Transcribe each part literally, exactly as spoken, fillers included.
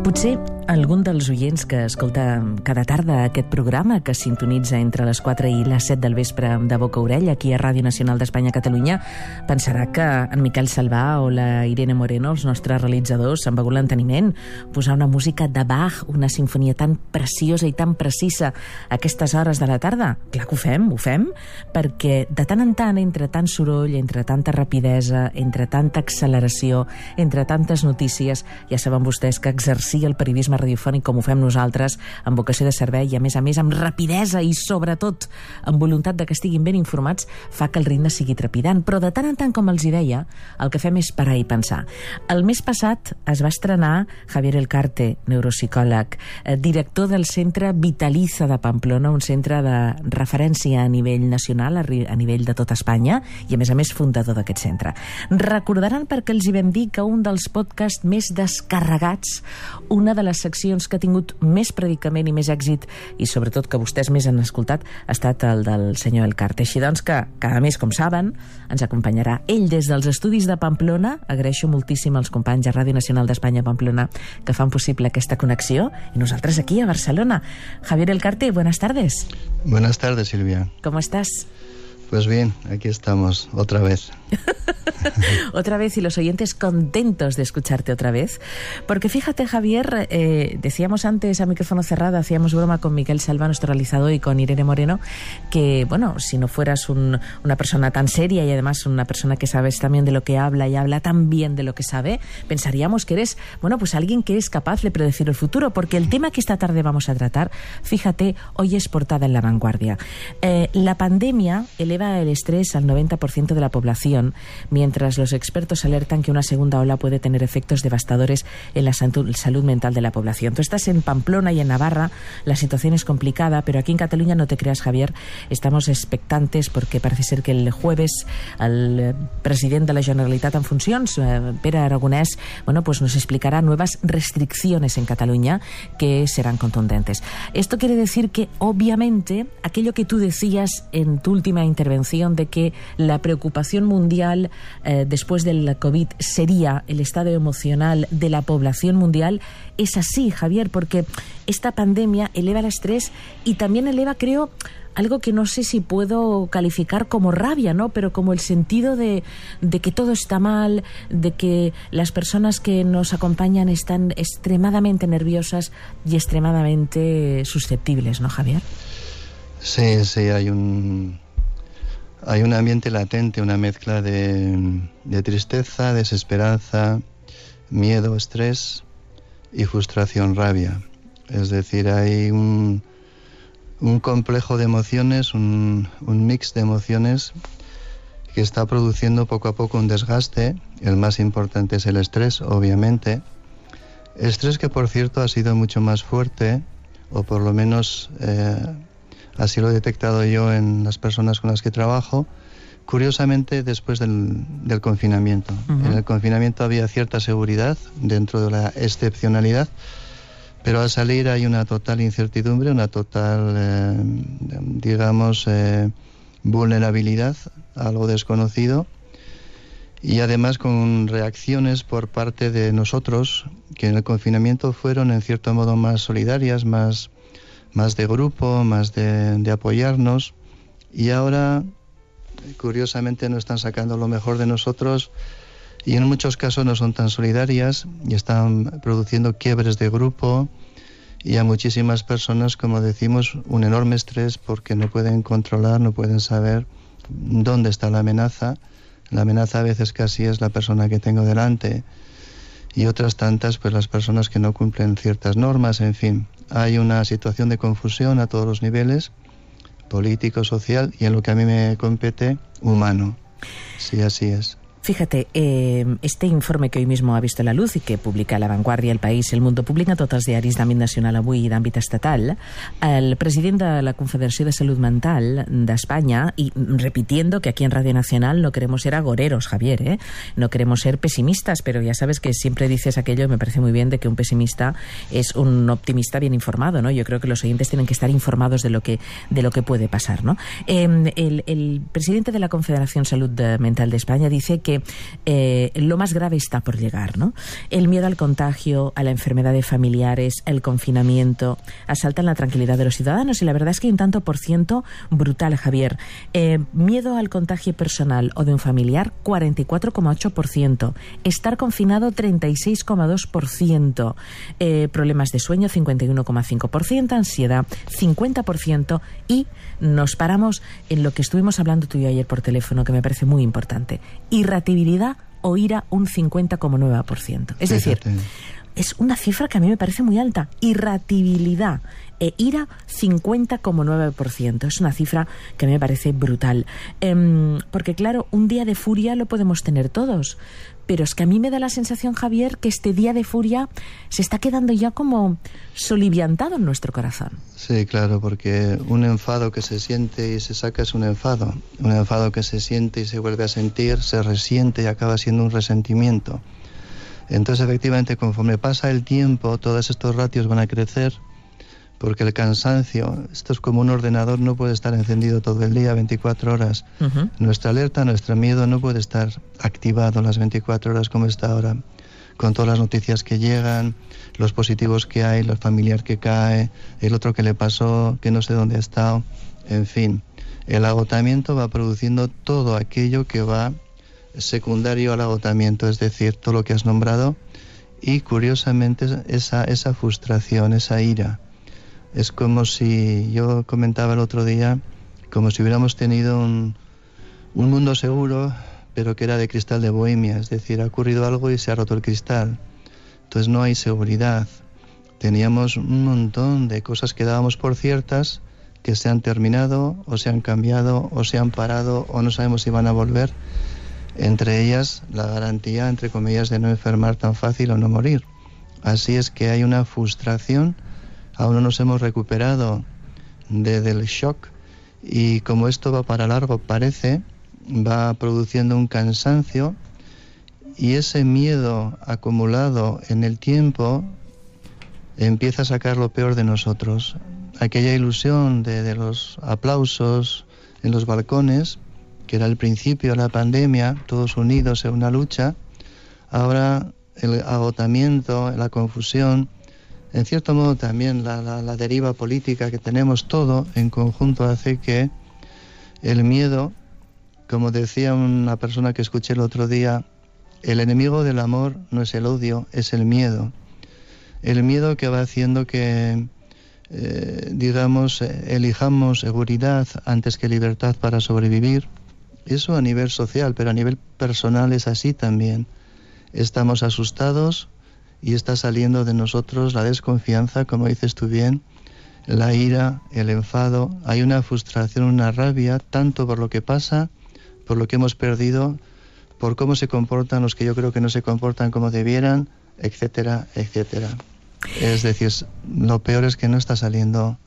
Potser algun dels oients que escolta cada tarda aquest programa, que sintonitza entre les quatre i les set del vespre de boca a orella aquí a Ràdio Nacional d'Espanya Catalunya, pensarà que en Miquel Salvà o la Irene Moreno, els nostres realitzadors, s'han begut l'enteniment posar una música de Bach, una sinfonia tan preciosa i tan precisa a aquestes hores de la tarda. Clar que ho fem, ho fem, perquè de tant en tant, entre tant soroll, entre tanta rapidesa, entre tanta acceleració, entre tantes notícies, ja saben vostès que exercir el periodisme radiofònic com ho fem nosaltres, amb vocació de servei i a més a més amb rapidesa i sobretot amb voluntat de que estiguin ben informats, fa que el ritme sigui trepidant. Però de tant en tant, com els hi deia, el que fem és parar i pensar. El mes passat es va estrenar Javier Elcarte, neuropsicòleg, director del Centre Vitaliza de Pamplona, un centre de referència a nivell nacional, a nivell de tot Espanya, i a més a més fundador d'aquest centre. Recordaran perquè els hi vam dir que un dels podcasts més descarregats, una de les seccions que ha tingut més predicament i més èxit, i sobretot que vostès més han escoltat, ha estat el del senyor Elcarte. Així doncs que cada mes, com saben, ens acompanyarà ell des dels estudis de Pamplona. Agraeixo moltíssim als companys de Ràdio Nacional d'Espanya Pamplona que fan possible aquesta connexió, i nosaltres aquí a Barcelona. Javier Elcarte, buenas tardes. Buenas tardes, Silvia. ¿Cómo estás? Pues bien, aquí estamos, otra vez. Otra vez, y los oyentes contentos de escucharte otra vez. Porque fíjate, Javier, eh, decíamos antes a micrófono cerrado, hacíamos broma con Miquel Salvà, nuestro realizador, y con Irene Moreno, que, bueno, si no fueras un, una persona tan seria y además una persona que sabes también de lo que habla y habla tan bien de lo que sabe, pensaríamos que eres, bueno, pues alguien que es capaz de predecir el futuro, porque el tema que esta tarde vamos a tratar, fíjate, hoy es portada en La Vanguardia. Eh, la pandemia eleva el estrés al noventa por ciento de la población, mientras los expertos alertan que una segunda ola puede tener efectos devastadores en la salud mental de la población. Tú estás en Pamplona y en Navarra, la situación es complicada, pero aquí en Cataluña, no te creas, Javier, estamos expectantes porque parece ser que el jueves el presidente de la Generalitat en funcions, Pere Aragonès, bueno, pues nos explicará nuevas restricciones en Cataluña que serán contundentes. Esto quiere decir que, obviamente, aquello que tú decías en tu última intervención de que la preocupación mundial eh, después del COVID sería el estado emocional de la población mundial, es así, Javier, porque esta pandemia eleva el estrés y también eleva, creo, algo que no sé si puedo calificar como rabia, ¿no? Pero como el sentido de, de que todo está mal, de que las personas que nos acompañan están extremadamente nerviosas y extremadamente susceptibles, ¿no, Javier? Sí, sí, hay un... Hay un ambiente latente, una mezcla de, de tristeza, desesperanza, miedo, estrés y frustración, rabia. Es decir, hay un, un complejo de emociones, un, un mix de emociones que está produciendo poco a poco un desgaste. El más importante es el estrés, obviamente. Estrés que, por cierto, ha sido mucho más fuerte, o por lo menos... Eh, así lo he detectado yo en las personas con las que trabajo, curiosamente después del, del confinamiento. Uh-huh. En el confinamiento había cierta seguridad dentro de la excepcionalidad, pero al salir hay una total incertidumbre, una total, eh, digamos, eh, vulnerabilidad a lo desconocido, y además con reacciones por parte de nosotros que en el confinamiento fueron en cierto modo más solidarias, más... más de grupo, más de, de apoyarnos, y ahora curiosamente no están sacando lo mejor de nosotros y en muchos casos no son tan solidarias y están produciendo quiebres de grupo y a muchísimas personas, como decimos, un enorme estrés porque no pueden controlar, no pueden saber dónde está la amenaza. La amenaza a veces casi es la persona que tengo delante, y otras tantas, pues las personas que no cumplen ciertas normas, en fin. Hay una situación de confusión a todos los niveles, político, social, y en lo que a mí me compete, humano. Sí, así es. Fíjate, eh, este informe que hoy mismo ha visto la luz y que publica La Vanguardia, El País, El Mundo, publica tots els diaris d'àmbit nacional avui i d'àmbit estatal, el president de la Confederació de Salut Mental d'Espanya, y repitiendo que aquí en Radio Nacional no queremos ser agoreros, Javier, ¿eh? No queremos ser pesimistas, pero ya sabes que siempre dices aquello, y me parece muy bien, de que un pesimista es un optimista bien informado, ¿no? Yo creo que los oyentes tienen que estar informados de lo que, de lo que puede pasar, ¿no? Eh, el, el presidente de la Confederación Salud Mental de España dice que Eh, lo más grave está por llegar, ¿no? El miedo al contagio, a la enfermedad de familiares, el confinamiento, asaltan la tranquilidad de los ciudadanos, y la verdad es que hay un tanto por ciento brutal, Javier. Eh, miedo al contagio personal o de un familiar, cuarenta y cuatro coma ocho por ciento. Estar confinado, treinta y seis coma dos por ciento. Eh, problemas de sueño, cincuenta y uno coma cinco por ciento. Ansiedad, cincuenta por ciento. Y nos paramos en lo que estuvimos hablando tú y yo ayer por teléfono, que me parece muy importante. Irritabilidad o ira, un cincuenta coma nueve por ciento. Es decir, es una cifra que a mí me parece muy alta. Irritabilidad e ira, cincuenta coma nueve por ciento. Es una cifra que a mí me parece brutal. Eh, porque claro, un día de furia lo podemos tener todos, pero es que a mí me da la sensación, Javier, que este día de furia se está quedando ya como soliviantado en nuestro corazón. Sí, claro, porque un enfado que se siente y se saca es un enfado. Un enfado que se siente y se vuelve a sentir, se resiente y acaba siendo un resentimiento. Entonces, efectivamente, conforme pasa el tiempo, todos estos ratios van a crecer, porque el cansancio, esto es como un ordenador, no puede estar encendido todo el día, veinticuatro horas. Uh-huh. Nuestra alerta, nuestro miedo no puede estar activado las veinticuatro horas como está ahora, con todas las noticias que llegan, los positivos que hay, los familiares que cae, el otro que le pasó, que no sé dónde ha estado, en fin. El agotamiento va produciendo todo aquello que va secundario al agotamiento, es decir, todo lo que has nombrado, y curiosamente esa, esa frustración, esa ira. Es como si, yo comentaba el otro día, como si hubiéramos tenido un, un mundo seguro, pero que era de cristal de Bohemia, es decir, ha ocurrido algo y se ha roto el cristal. Entonces no hay seguridad. Teníamos un montón de cosas que dábamos por ciertas, que se han terminado, o se han cambiado, o se han parado, o no sabemos si van a volver. Entre ellas, la garantía, entre comillas, de no enfermar tan fácil o no morir. Así es que hay una frustración. Aún no nos hemos recuperado de, del shock, y como esto va para largo, parece, va produciendo un cansancio, y ese miedo acumulado en el tiempo empieza a sacar lo peor de nosotros. Aquella ilusión de, de los aplausos en los balcones, que era el principio de la pandemia, todos unidos en una lucha, ahora el agotamiento, la confusión, en cierto modo también la, la, la deriva política que tenemos, todo en conjunto hace que el miedo, como decía una persona que escuché el otro día, el enemigo del amor no es el odio, es el miedo. El miedo que va haciendo que, eh, digamos, elijamos seguridad antes que libertad para sobrevivir. Eso a nivel social, pero a nivel personal es así también. Estamos asustados, y está saliendo de nosotros la desconfianza, como dices tú bien, la ira, el enfado. Hay una frustración, una rabia, tanto por lo que pasa, por lo que hemos perdido, por cómo se comportan los que yo creo que no se comportan como debieran, etcétera, etcétera. Es decir, lo peor es que no está saliendo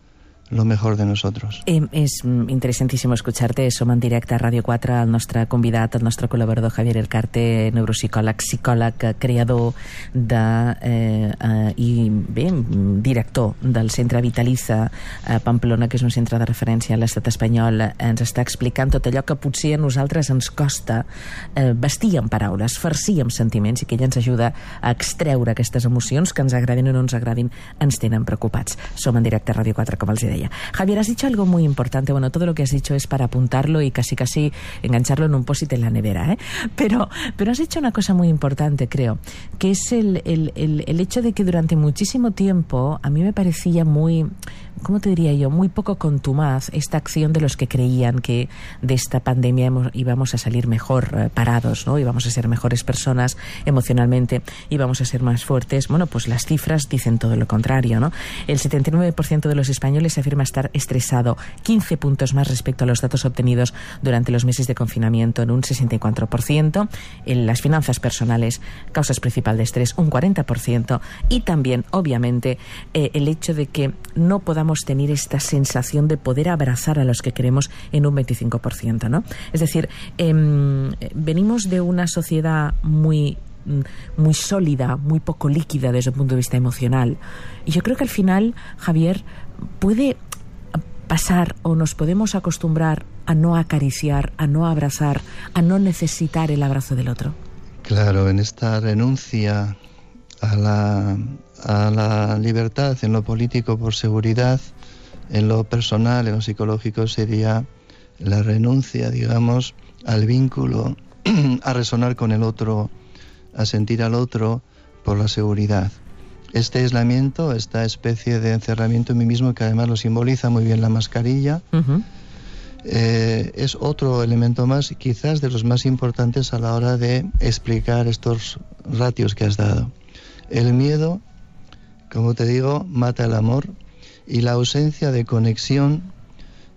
lo mejor de nosotros. Eh, és interessantíssim escuchar-te. Som en directe a Ràdio quatre, el nostre convidat, el nostre col·laborador Javier Elcarte, neuropsicòleg, psicòleg, creador de, eh, eh, i bé, director del Centre Vitaliza a Pamplona, que és un centre de referència a l'estat espanyol. Ens està explicant tot allò que potser a nosaltres ens costa eh, vestir en paraules, farcir amb sentiments, i que ella ens ajuda a extreure aquestes emocions que ens agradin o no ens agradin, ens tenen preocupats. Som en directe a Ràdio quatre, com els deia. Javier, has dicho algo muy importante. Bueno, todo lo que has dicho es para apuntarlo y casi casi engancharlo en un post-it en la nevera, ¿eh? Pero, pero has dicho una cosa muy importante, creo, que es el, el, el, el hecho de que durante muchísimo tiempo a mí me parecía muy, ¿cómo te diría yo?, muy poco contumaz esta acción de los que creían que de esta pandemia hemos, íbamos a salir mejor eh, parados, ¿no? Íbamos a ser mejores personas emocionalmente, íbamos a ser más fuertes. Bueno, pues las cifras dicen todo lo contrario, ¿no? El setenta y nueve por ciento de los españoles afirma estar estresado, quince puntos más respecto a los datos obtenidos durante los meses de confinamiento, en un sesenta y cuatro por ciento. En las finanzas personales, causas principales de estrés, un cuarenta por ciento. Y también, obviamente, eh, el hecho de que no podamos tener esta sensación de poder abrazar a los que queremos, en un veinticinco por ciento, ¿no? Es decir, eh, venimos de una sociedad muy muy sólida, muy poco líquida desde el punto de vista emocional. Y yo creo que al final, Javier, puede pasar o nos podemos acostumbrar a no acariciar, a no abrazar, a no necesitar el abrazo del otro. Claro, en esta renuncia a la, a la libertad en lo político por seguridad, en lo personal, en lo psicológico, sería la renuncia, digamos, al vínculo, a resonar con el otro, a sentir al otro por la seguridad. Este aislamiento, esta especie de encerramiento en mí mismo, que además lo simboliza muy bien la mascarilla, uh-huh. eh, es otro elemento más, quizás de los más importantes a la hora de explicar estos ratios que has dado. El miedo, como te digo, mata el amor, y la ausencia de conexión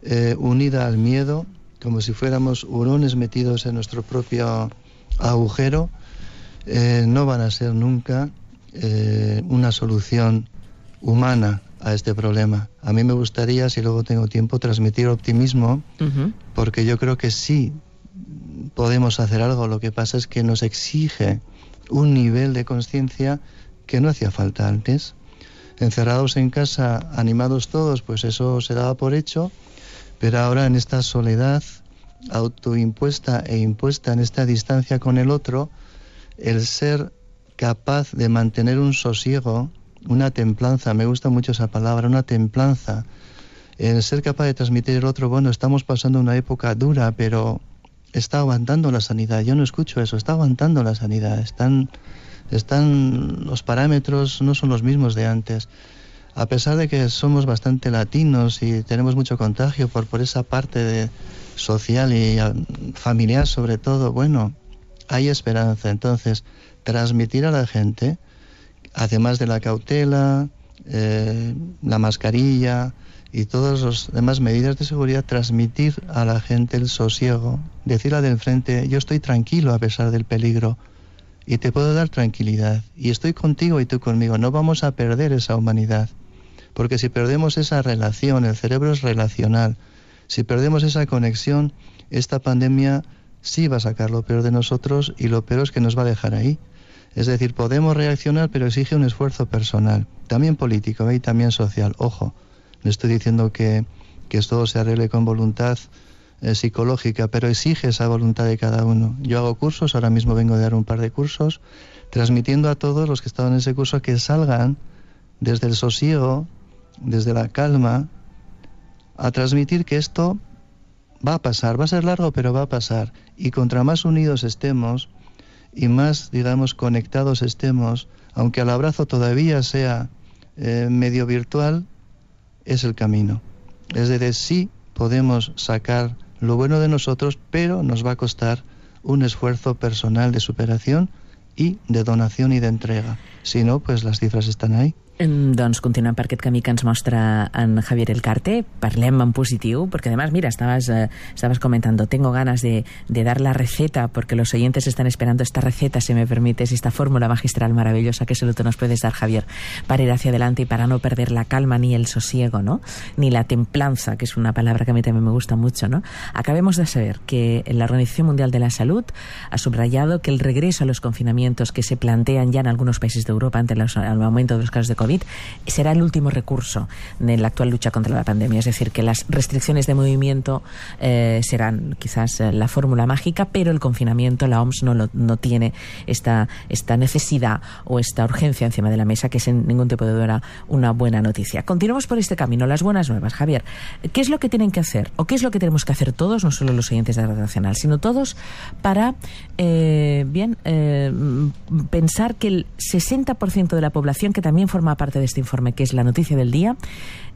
eh, unida al miedo, como si fuéramos hurones metidos en nuestro propio agujero, eh, no van a ser nunca eh, una solución humana a este problema. A mí me gustaría, si luego tengo tiempo, transmitir optimismo, uh-huh. porque yo creo que sí podemos hacer algo. Lo que pasa es que nos exige un nivel de conciencia que no hacía falta antes. Encerrados en casa, animados todos, pues eso se daba por hecho, pero ahora en esta soledad autoimpuesta e impuesta, en esta distancia con el otro, el ser capaz de mantener un sosiego, una templanza, me gusta mucho esa palabra, una templanza, el ser capaz de transmitir al otro, bueno, estamos pasando una época dura, pero está aguantando la sanidad. Yo no escucho eso, está aguantando la sanidad, están, están los parámetros no son los mismos de antes. A pesar de que somos bastante latinos y tenemos mucho contagio por, por esa parte de social y familiar sobre todo, bueno, hay esperanza. Entonces, transmitir a la gente, además de la cautela, eh, la mascarilla y todas las demás medidas de seguridad, transmitir a la gente el sosiego, decirle del frente, yo estoy tranquilo a pesar del peligro y te puedo dar tranquilidad y estoy contigo y tú conmigo, no vamos a perder esa humanidad, porque si perdemos esa relación, el cerebro es relacional, si perdemos esa conexión, esta pandemia sí va a sacar lo peor de nosotros y lo peor es que nos va a dejar ahí. Es decir, podemos reaccionar, pero exige un esfuerzo personal, también político, ¿eh? Y también social. Ojo, no estoy diciendo que, que todo se arregle con voluntad eh, psicológica, pero exige esa voluntad de cada uno. Yo hago cursos, ahora mismo vengo de dar un par de cursos, transmitiendo a todos los que estaban en ese curso que salgan desde el sosiego, desde la calma, a transmitir que esto va a pasar, va a ser largo, pero va a pasar. Y contra más unidos estemos y más, digamos, conectados estemos, aunque el abrazo todavía sea eh, medio virtual, es el camino. Es decir, sí podemos sacar lo bueno de nosotros, pero nos va a costar un esfuerzo personal de superación y de donación y de entrega. Si no, pues las cifras están ahí. Doncs continuem per aquest camí que ens mostra en Javier Elcarte. Parlem en positiu, porque además, mira, estabas, eh, estabas comentando, tengo ganas de, de dar la receta, porque los oyentes están esperando esta receta, si me permites, esta fórmula magistral maravillosa que solo tú nos puedes dar, Javier, para ir hacia adelante y para no perder la calma ni el sosiego, ¿no? Ni la templanza, que es una palabra que a mí también me gusta mucho, ¿no? Acabemos de saber que la Organización Mundial de la Salud ha subrayado que el regreso a los confinamientos que se plantean ya en algunos países de Europa ante los, el aumento de los casos de COVID será el último recurso en la actual lucha contra la pandemia. Es decir, que las restricciones de movimiento eh, serán quizás eh, la fórmula mágica, pero el confinamiento, la O M S no, lo, no tiene esta, esta necesidad o esta urgencia encima de la mesa, que sin ningún tipo de duda una buena noticia. Continuamos por este camino, las buenas nuevas. Javier, ¿qué es lo que tienen que hacer o qué es lo que tenemos que hacer todos, no solo los oyentes de Radio Nacional, sino todos para eh, bien eh, pensar que el sesenta por ciento de la población, que también forma parte de este informe, que es la noticia del día.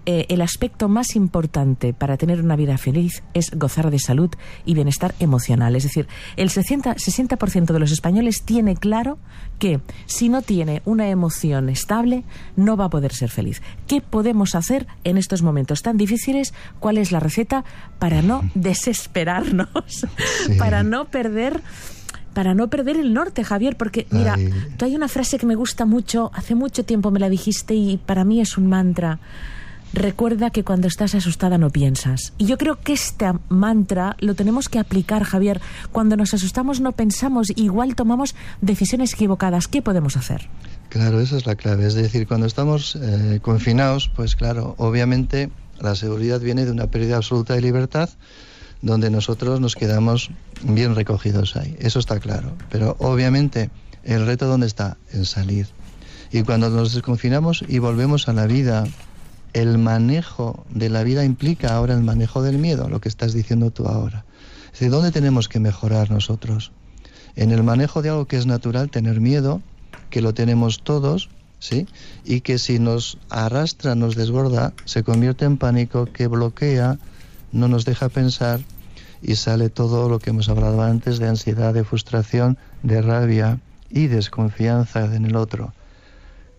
Eh, el aspecto más importante para tener una vida feliz es gozar de salud y bienestar emocional. Es decir, el sesenta por ciento de los españoles tiene claro que si no tiene una emoción estable, no va a poder ser feliz. ¿Qué podemos hacer en estos momentos tan difíciles? ¿Cuál es la receta para no desesperarnos? Sí. Para no perder... Para no perder el norte, Javier, porque, mira, Ay. tú hay una frase que me gusta mucho, hace mucho tiempo me la dijiste y para mí es un mantra. Recuerda que cuando estás asustada no piensas. Y yo creo que este mantra lo tenemos que aplicar, Javier. Cuando nos asustamos no pensamos, igual tomamos decisiones equivocadas. ¿Qué podemos hacer? Claro, esa es la clave. Es decir, cuando estamos eh, confinados, pues claro, obviamente la seguridad viene de una pérdida absoluta de libertad, donde nosotros nos quedamos bien recogidos ahí. Eso está claro. Pero obviamente el reto ¿dónde está? En salir. Y cuando nos desconfinamos y volvemos a la vida, el manejo de la vida implica ahora el manejo del miedo, lo que estás diciendo tú ahora. Es decir, ¿dónde tenemos que mejorar nosotros? En el manejo de algo que es natural, tener miedo, que lo tenemos todos, ¿sí? Y que si nos arrastra, nos desborda, se convierte en pánico, que bloquea, no nos deja pensar y sale todo lo que hemos hablado antes de ansiedad, de frustración, de rabia y desconfianza en el otro.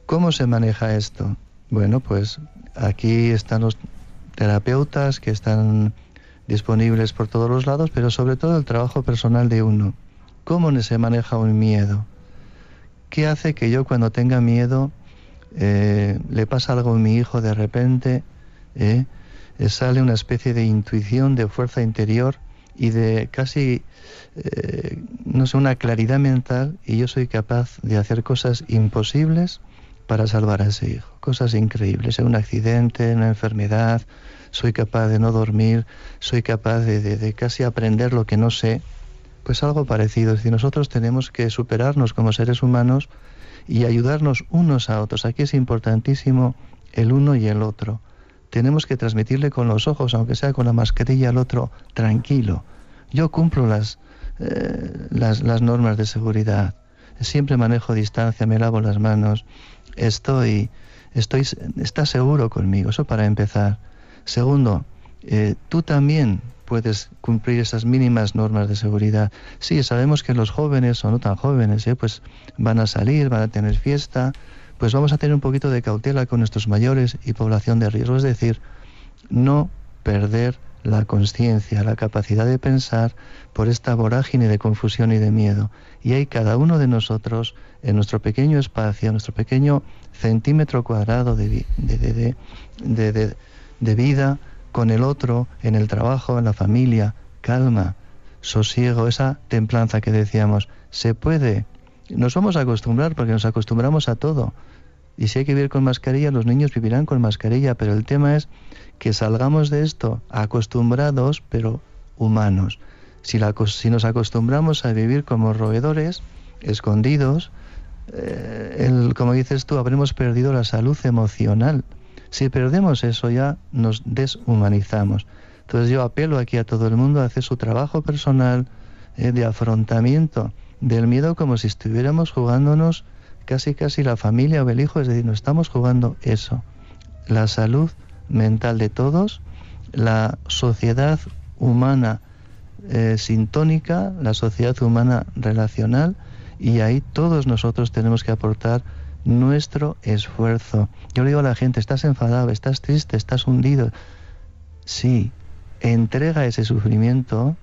¿Cómo se maneja esto? Bueno, pues aquí están los terapeutas que están disponibles por todos los lados, pero sobre todo el trabajo personal de uno. ¿Cómo se maneja un miedo? ¿Qué hace que yo cuando tenga miedo eh, le pasa algo a mi hijo de repente? Eh, sale una especie de intuición, de fuerza interior y de casi, eh, no sé, una claridad mental, y yo soy capaz de hacer cosas imposibles para salvar a ese hijo. Cosas increíbles, en un accidente, en una enfermedad, soy capaz de no dormir, soy capaz de, de, de casi aprender lo que no sé. Pues algo parecido, es decir, nosotros tenemos que superarnos como seres humanos y ayudarnos unos a otros. Aquí es importantísimo el uno y el otro. Tenemos que transmitirle con los ojos, aunque sea con la mascarilla, al otro, tranquilo. Yo cumplo las, eh, las, las normas de seguridad. Siempre manejo distancia, me lavo las manos. Estoy, estoy, ¿estás seguro conmigo? Eso para empezar. Segundo, eh, tú también puedes cumplir esas mínimas normas de seguridad. Sí, sabemos que los jóvenes o no tan jóvenes, eh, pues van a salir, van a tener fiesta. Pues vamos a tener un poquito de cautela con nuestros mayores y población de riesgo, es decir, no perder la conciencia, la capacidad de pensar por esta vorágine de confusión y de miedo. Y hay cada uno de nosotros, en nuestro pequeño espacio, en nuestro pequeño centímetro cuadrado de, de, de, de, de, de, de vida, con el otro, en el trabajo, en la familia, calma, sosiego, esa templanza que decíamos, se puede. Nos vamos a acostumbrar porque nos acostumbramos a todo. Y si hay que vivir con mascarilla, los niños vivirán con mascarilla, pero el tema es que salgamos de esto acostumbrados, pero humanos. Si, la, si nos acostumbramos a vivir como roedores, escondidos, eh, el, como dices tú, habremos perdido la salud emocional. Si perdemos eso ya nos deshumanizamos. Entonces yo apelo aquí a todo el mundo a hacer su trabajo personal eh, de afrontamiento del miedo, como si estuviéramos jugándonos casi casi la familia o el hijo, es decir, nos estamos jugando eso. La salud mental de todos, la sociedad humana eh, sintónica, la sociedad humana relacional, y ahí todos nosotros tenemos que aportar nuestro esfuerzo. Yo le digo a la gente, estás enfadado, estás triste, estás hundido. Sí, entrega ese sufrimiento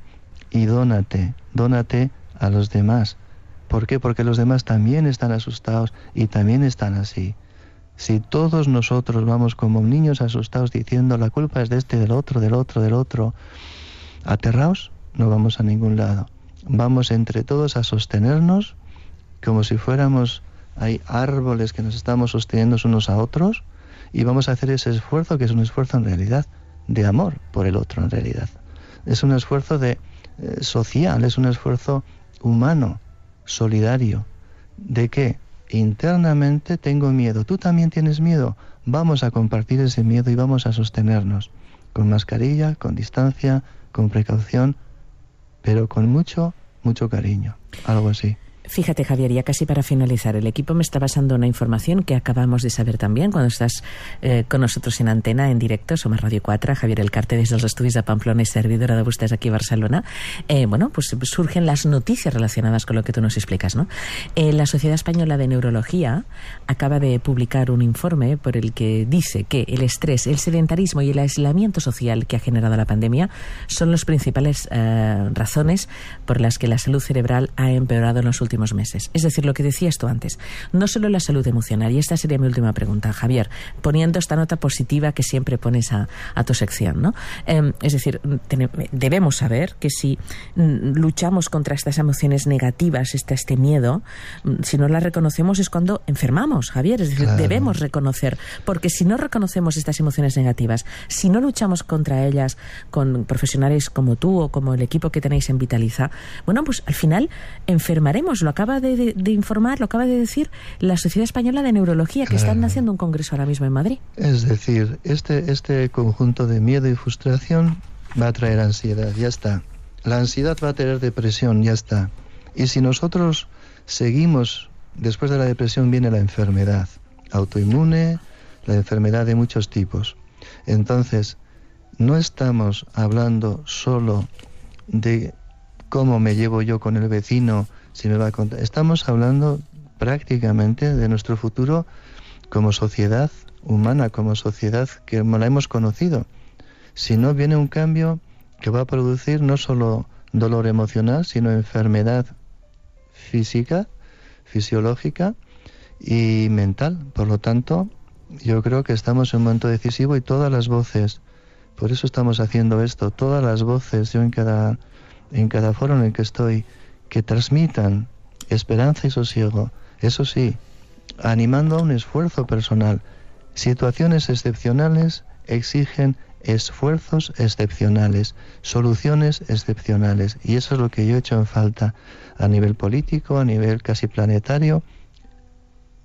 y dónate, dónate a los demás. ¿Por qué? Porque los demás también están asustados y también están así. Si todos nosotros vamos como niños asustados diciendo la culpa es de este, del otro, del otro, del otro, aterrados, no vamos a ningún lado. Vamos entre todos a sostenernos como si fuéramos, hay árboles que nos estamos sosteniendo unos a otros, y vamos a hacer ese esfuerzo, que es un esfuerzo en realidad de amor por el otro en realidad. Es un esfuerzo de eh, social, es un esfuerzo humano, solidario. ¿De qué? Internamente tengo miedo. ¿Tú también tienes miedo? Vamos a compartir ese miedo y vamos a sostenernos. Con mascarilla, con distancia, con precaución, pero con mucho, mucho cariño. Algo así. Fíjate, Javier, ya casi para finalizar, el equipo me está pasando una información que acabamos de saber también cuando estás eh, con nosotros en antena, en directo, Somos Radio cuatro, Javier Elcarte des dels estudis de Pamplona y servidora de vostès aquí a Barcelona. Eh, bueno, pues surgen las noticias relacionadas con lo que tú nos explicas, ¿no? Eh, la Sociedad Española de Neurología acaba de publicar un informe por el que dice que el estrés, el sedentarismo y el aislamiento social que ha generado la pandemia son las principales eh, razones por las que la salud cerebral ha empeorado en los últimos meses. Es decir, lo que decías tú antes, no solo la salud emocional, y esta sería mi última pregunta, Javier, poniendo esta nota positiva que siempre pones a, a tu sección, ¿no? Eh, es decir, ten, debemos saber que si luchamos contra estas emociones negativas, este, este miedo, si no las reconocemos es cuando enfermamos, Javier, es decir, claro. Debemos reconocer, porque si no reconocemos estas emociones negativas, si no luchamos contra ellas con profesionales como tú o como el equipo que tenéis en Vitaliza, bueno, pues al final enfermaremos. Lo acaba de, de, de informar, lo acaba de decir la Sociedad Española de Neurología, que claro. Están haciendo un congreso ahora mismo en Madrid. Es decir, este, este conjunto de miedo y frustración va a traer ansiedad, ya está. La ansiedad va a traer depresión, ya está. Y si nosotros seguimos, después de la depresión viene la enfermedad autoinmune, la enfermedad de muchos tipos. Entonces, no estamos hablando solo de cómo me llevo yo con el vecino, si me va a contar. Estamos hablando prácticamente de nuestro futuro como sociedad humana, como sociedad que la hemos conocido. Si no viene un cambio que va a producir no solo dolor emocional, sino enfermedad física, fisiológica y mental. Por lo tanto, yo creo que estamos en un momento decisivo y todas las voces, por eso estamos haciendo esto, todas las voces, yo en cada, en cada foro en el que estoy, que transmitan esperanza y sosiego, eso sí, animando a un esfuerzo personal. Situaciones excepcionales exigen esfuerzos excepcionales, soluciones excepcionales, y eso es lo que yo he hecho en falta a nivel político, a nivel casi planetario.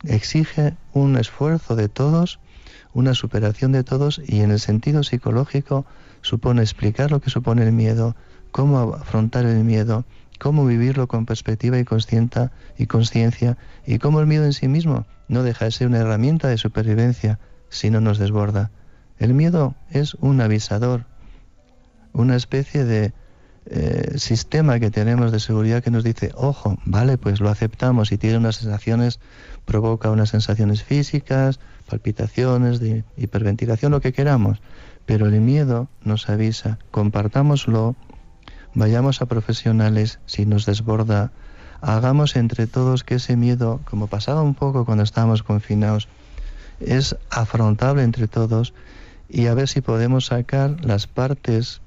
Exige un esfuerzo de todos, una superación de todos, y en el sentido psicológico supone explicar lo que supone el miedo, cómo afrontar el miedo, cómo vivirlo con perspectiva y consciente y conciencia, y cómo el miedo en sí mismo no deja de ser una herramienta de supervivencia si no nos desborda. El miedo es un avisador, una especie de eh, sistema que tenemos de seguridad que nos dice, ojo, vale, pues lo aceptamos, y tiene unas sensaciones, provoca unas sensaciones físicas, palpitaciones, de hiperventilación, lo que queramos, pero el miedo nos avisa, compartámoslo, vayamos a profesionales si nos desborda, hagamos entre todos que ese miedo, como pasaba un poco cuando estábamos confinados, es afrontable entre todos, y a ver si podemos sacar las partes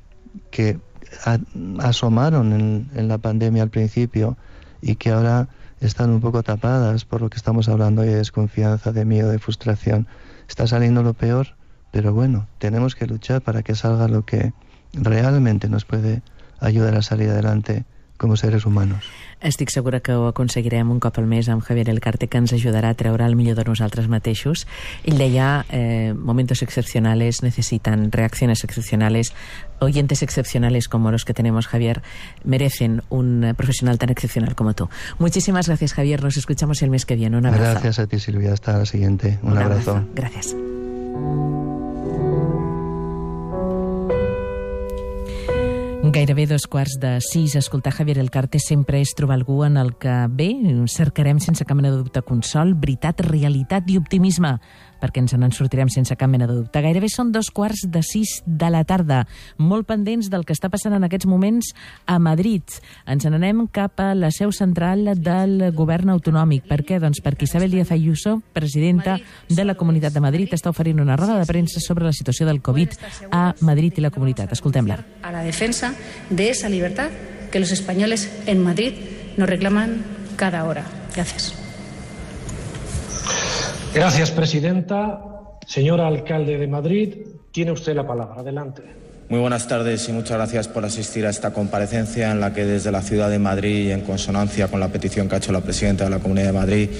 que a, asomaron en, en la pandemia al principio y que ahora están un poco tapadas por lo que estamos hablando hoy de desconfianza, de miedo, de frustración. Está saliendo lo peor, pero bueno, tenemos que luchar para que salga lo que realmente nos puede ayudar a salir adelante com a seres humanos. Estic segura que ho aconseguirem un cop al mes amb Javier Elcarte, que ens ajudarà a treure el millor de nosaltres mateixos. Ell deia, eh, momentos excepcionales necesitan reacciones excepcionales. Oyentes excepcionales como los que tenemos, Javier, merecen un profesional tan excepcional como tú. Muchísimas gracias, Javier. Nos escuchamos el mes que viene. Un abrazo. Gracias a ti, Silvia. Hasta la siguiente. Un, un abrazo. abrazo. Gracias. Gairebé dos quarts de sis. Escoltar Javier Elcarte sempre és trobar algú en el que, bé, cercarem sense cap mena de dubte consol, veritat, realitat i optimisme, perquè ens en sortirem sense cap mena de dubte. Gairebé són dos quarts de sis de la tarda, molt pendents del que està passant en aquests moments a Madrid. Ens n'anem cap a la seu central del govern autonòmic. Per què? Doncs perquè Isabel Díaz Ayuso, presidenta de la Comunitat de Madrid, està oferint una roda de premsa sobre la situació del Covid a Madrid i la comunitat. Escoltem-la. A la defensa de esa libertad que los españoles en Madrid nos reclaman cada hora. Gracias. Gracias, presidenta. Señor alcalde de Madrid, tiene usted la palabra. Adelante. Muy buenas tardes y muchas gracias por asistir a esta comparecencia en la que desde la ciudad de Madrid y en consonancia con la petición que ha hecho la presidenta de la Comunidad de Madrid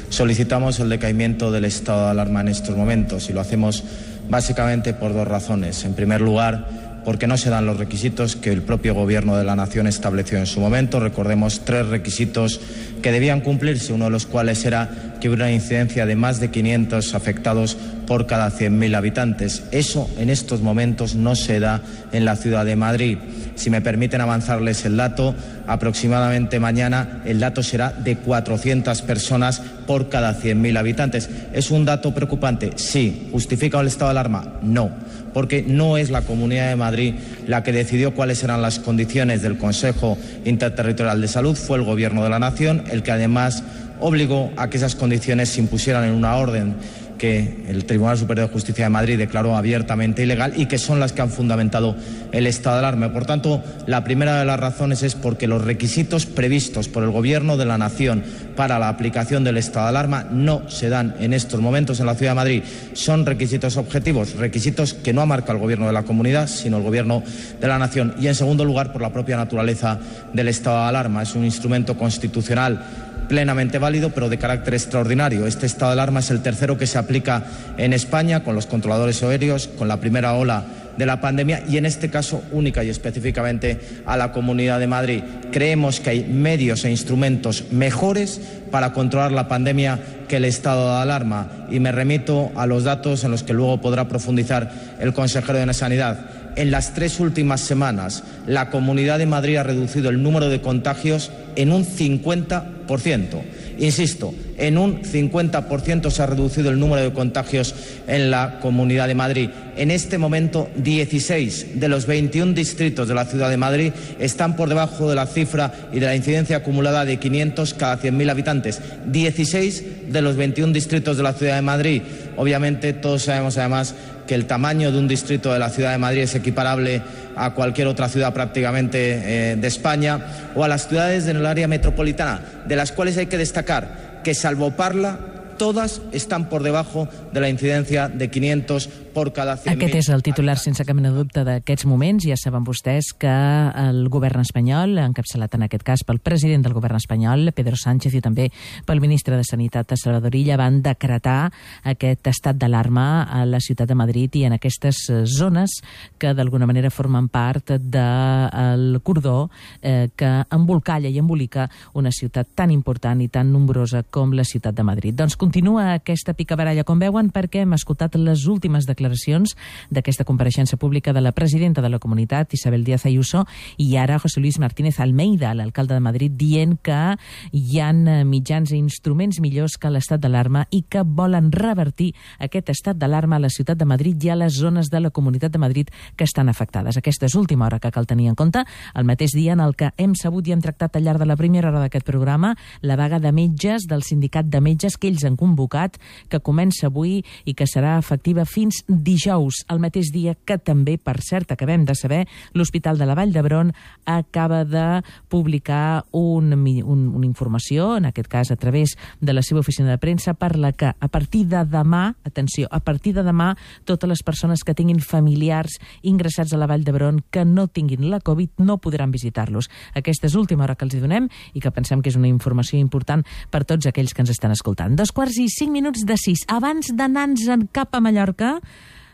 solicitamos el decaimiento del estado de alarma en estos momentos, y lo hacemos básicamente por dos razones. En primer lugar, porque no se dan los requisitos que el propio Gobierno de la Nación estableció en su momento. Recordemos tres requisitos que debían cumplirse, uno de los cuales era que hubiera una incidencia de más de quinientos afectados por cada cien mil habitantes. Eso en estos momentos no se da en la ciudad de Madrid. Si me permiten avanzarles el dato, aproximadamente mañana el dato será de cuatrocientas personas por cada cien mil habitantes. ¿Es un dato preocupante? Sí. ¿Justifica el estado de alarma? No, porque no es la Comunidad de Madrid la que decidió cuáles eran las condiciones del Consejo Interterritorial de Salud, fue el Gobierno de la Nación el que además obligó a que esas condiciones se impusieran en una orden que el Tribunal Superior de Justicia de Madrid declaró abiertamente ilegal y que son las que han fundamentado el estado de alarma. Por tanto, la primera de las razones es porque los requisitos previstos por el Gobierno de la Nación para la aplicación del estado de alarma no se dan en estos momentos en la Ciudad de Madrid. Son requisitos objetivos, requisitos que no marca el Gobierno de la Comunidad, sino el Gobierno de la Nación. Y, en segundo lugar, por la propia naturaleza del estado de alarma. Es un instrumento constitucional plenamente válido, pero de carácter extraordinario. Este estado de alarma es el tercero que se aplica en España con los controladores aéreos, con la primera ola de la pandemia y en este caso única y específicamente a la Comunidad de Madrid. Creemos que hay medios e instrumentos mejores para controlar la pandemia que el estado de alarma y me remito a los datos en los que luego podrá profundizar el consejero de Sanidad. En las tres últimas semanas, la Comunidad de Madrid ha reducido el número de contagios en un cincuenta por ciento. Insisto, en un cincuenta por ciento se ha reducido el número de contagios en la Comunidad de Madrid. En este momento, dieciséis de los veintiún distritos de la Ciudad de Madrid están por debajo de la cifra y de la incidencia acumulada de quinientos cada cien mil habitantes. dieciséis de los veintiún distritos de la Ciudad de Madrid. Obviamente, todos sabemos además que el tamaño de un distrito de la Ciudad de Madrid es equiparable a cualquier otra ciudad prácticamente eh, de España o a las ciudades del área metropolitana, de las cuales hay que destacar que, salvo Parla, todas estan per debajo de la incidencia de quinientos por cada cien mil. Aquest és el titular sense cap mena de dubte d'aquests moments. Ja saben vostès que el govern espanyol, encapçalat en aquest cas pel president del govern espanyol, Pedro Sánchez, i també pel ministre de Sanitat, Salvador Illa, van decretar aquest estat d'alarma a la ciutat de Madrid i en aquestes zones que d'alguna manera formen part del cordó eh, que embolcalla i embolica una ciutat tan important i tan nombrosa com la ciutat de Madrid. Doncs continua aquesta picabaralla, com veuen, perquè hem escoltat les últimes declaracions d'aquesta compareixença pública de la presidenta de la comunitat, Isabel Díaz Ayuso, i ara José Luis Martínez Almeida, l'alcalde de Madrid, dient que hi ha mitjans i instruments millors que l'estat d'alarma i que volen revertir aquest estat d'alarma a la ciutat de Madrid i a les zones de la Comunitat de Madrid que estan afectades. Aquesta és última hora que cal tenir en compte, el mateix dia en el que hem sabut i hem tractat al llarg de la primera hora d'aquest programa la vaga de metges del sindicat de metges que ells han convocat, que comença avui i que serà efectiva fins dijous, el mateix dia que també, per cert, acabem de saber, l'Hospital de la Vall d'Hebron acaba de publicar un, un, una informació, en aquest cas a través de la seva oficina de premsa, per la que a partir de demà, atenció, a partir de demà, totes les persones que tinguin familiars ingressats a la Vall d'Hebron que no tinguin la Covid no podran visitar-los. Aquesta és l'última hora que els hi donem i que pensem que és una informació important per tots aquells que ens estan escoltant. Dos quarts i cinc minuts de sis. Abans d'anar-nos cap a Mallorca,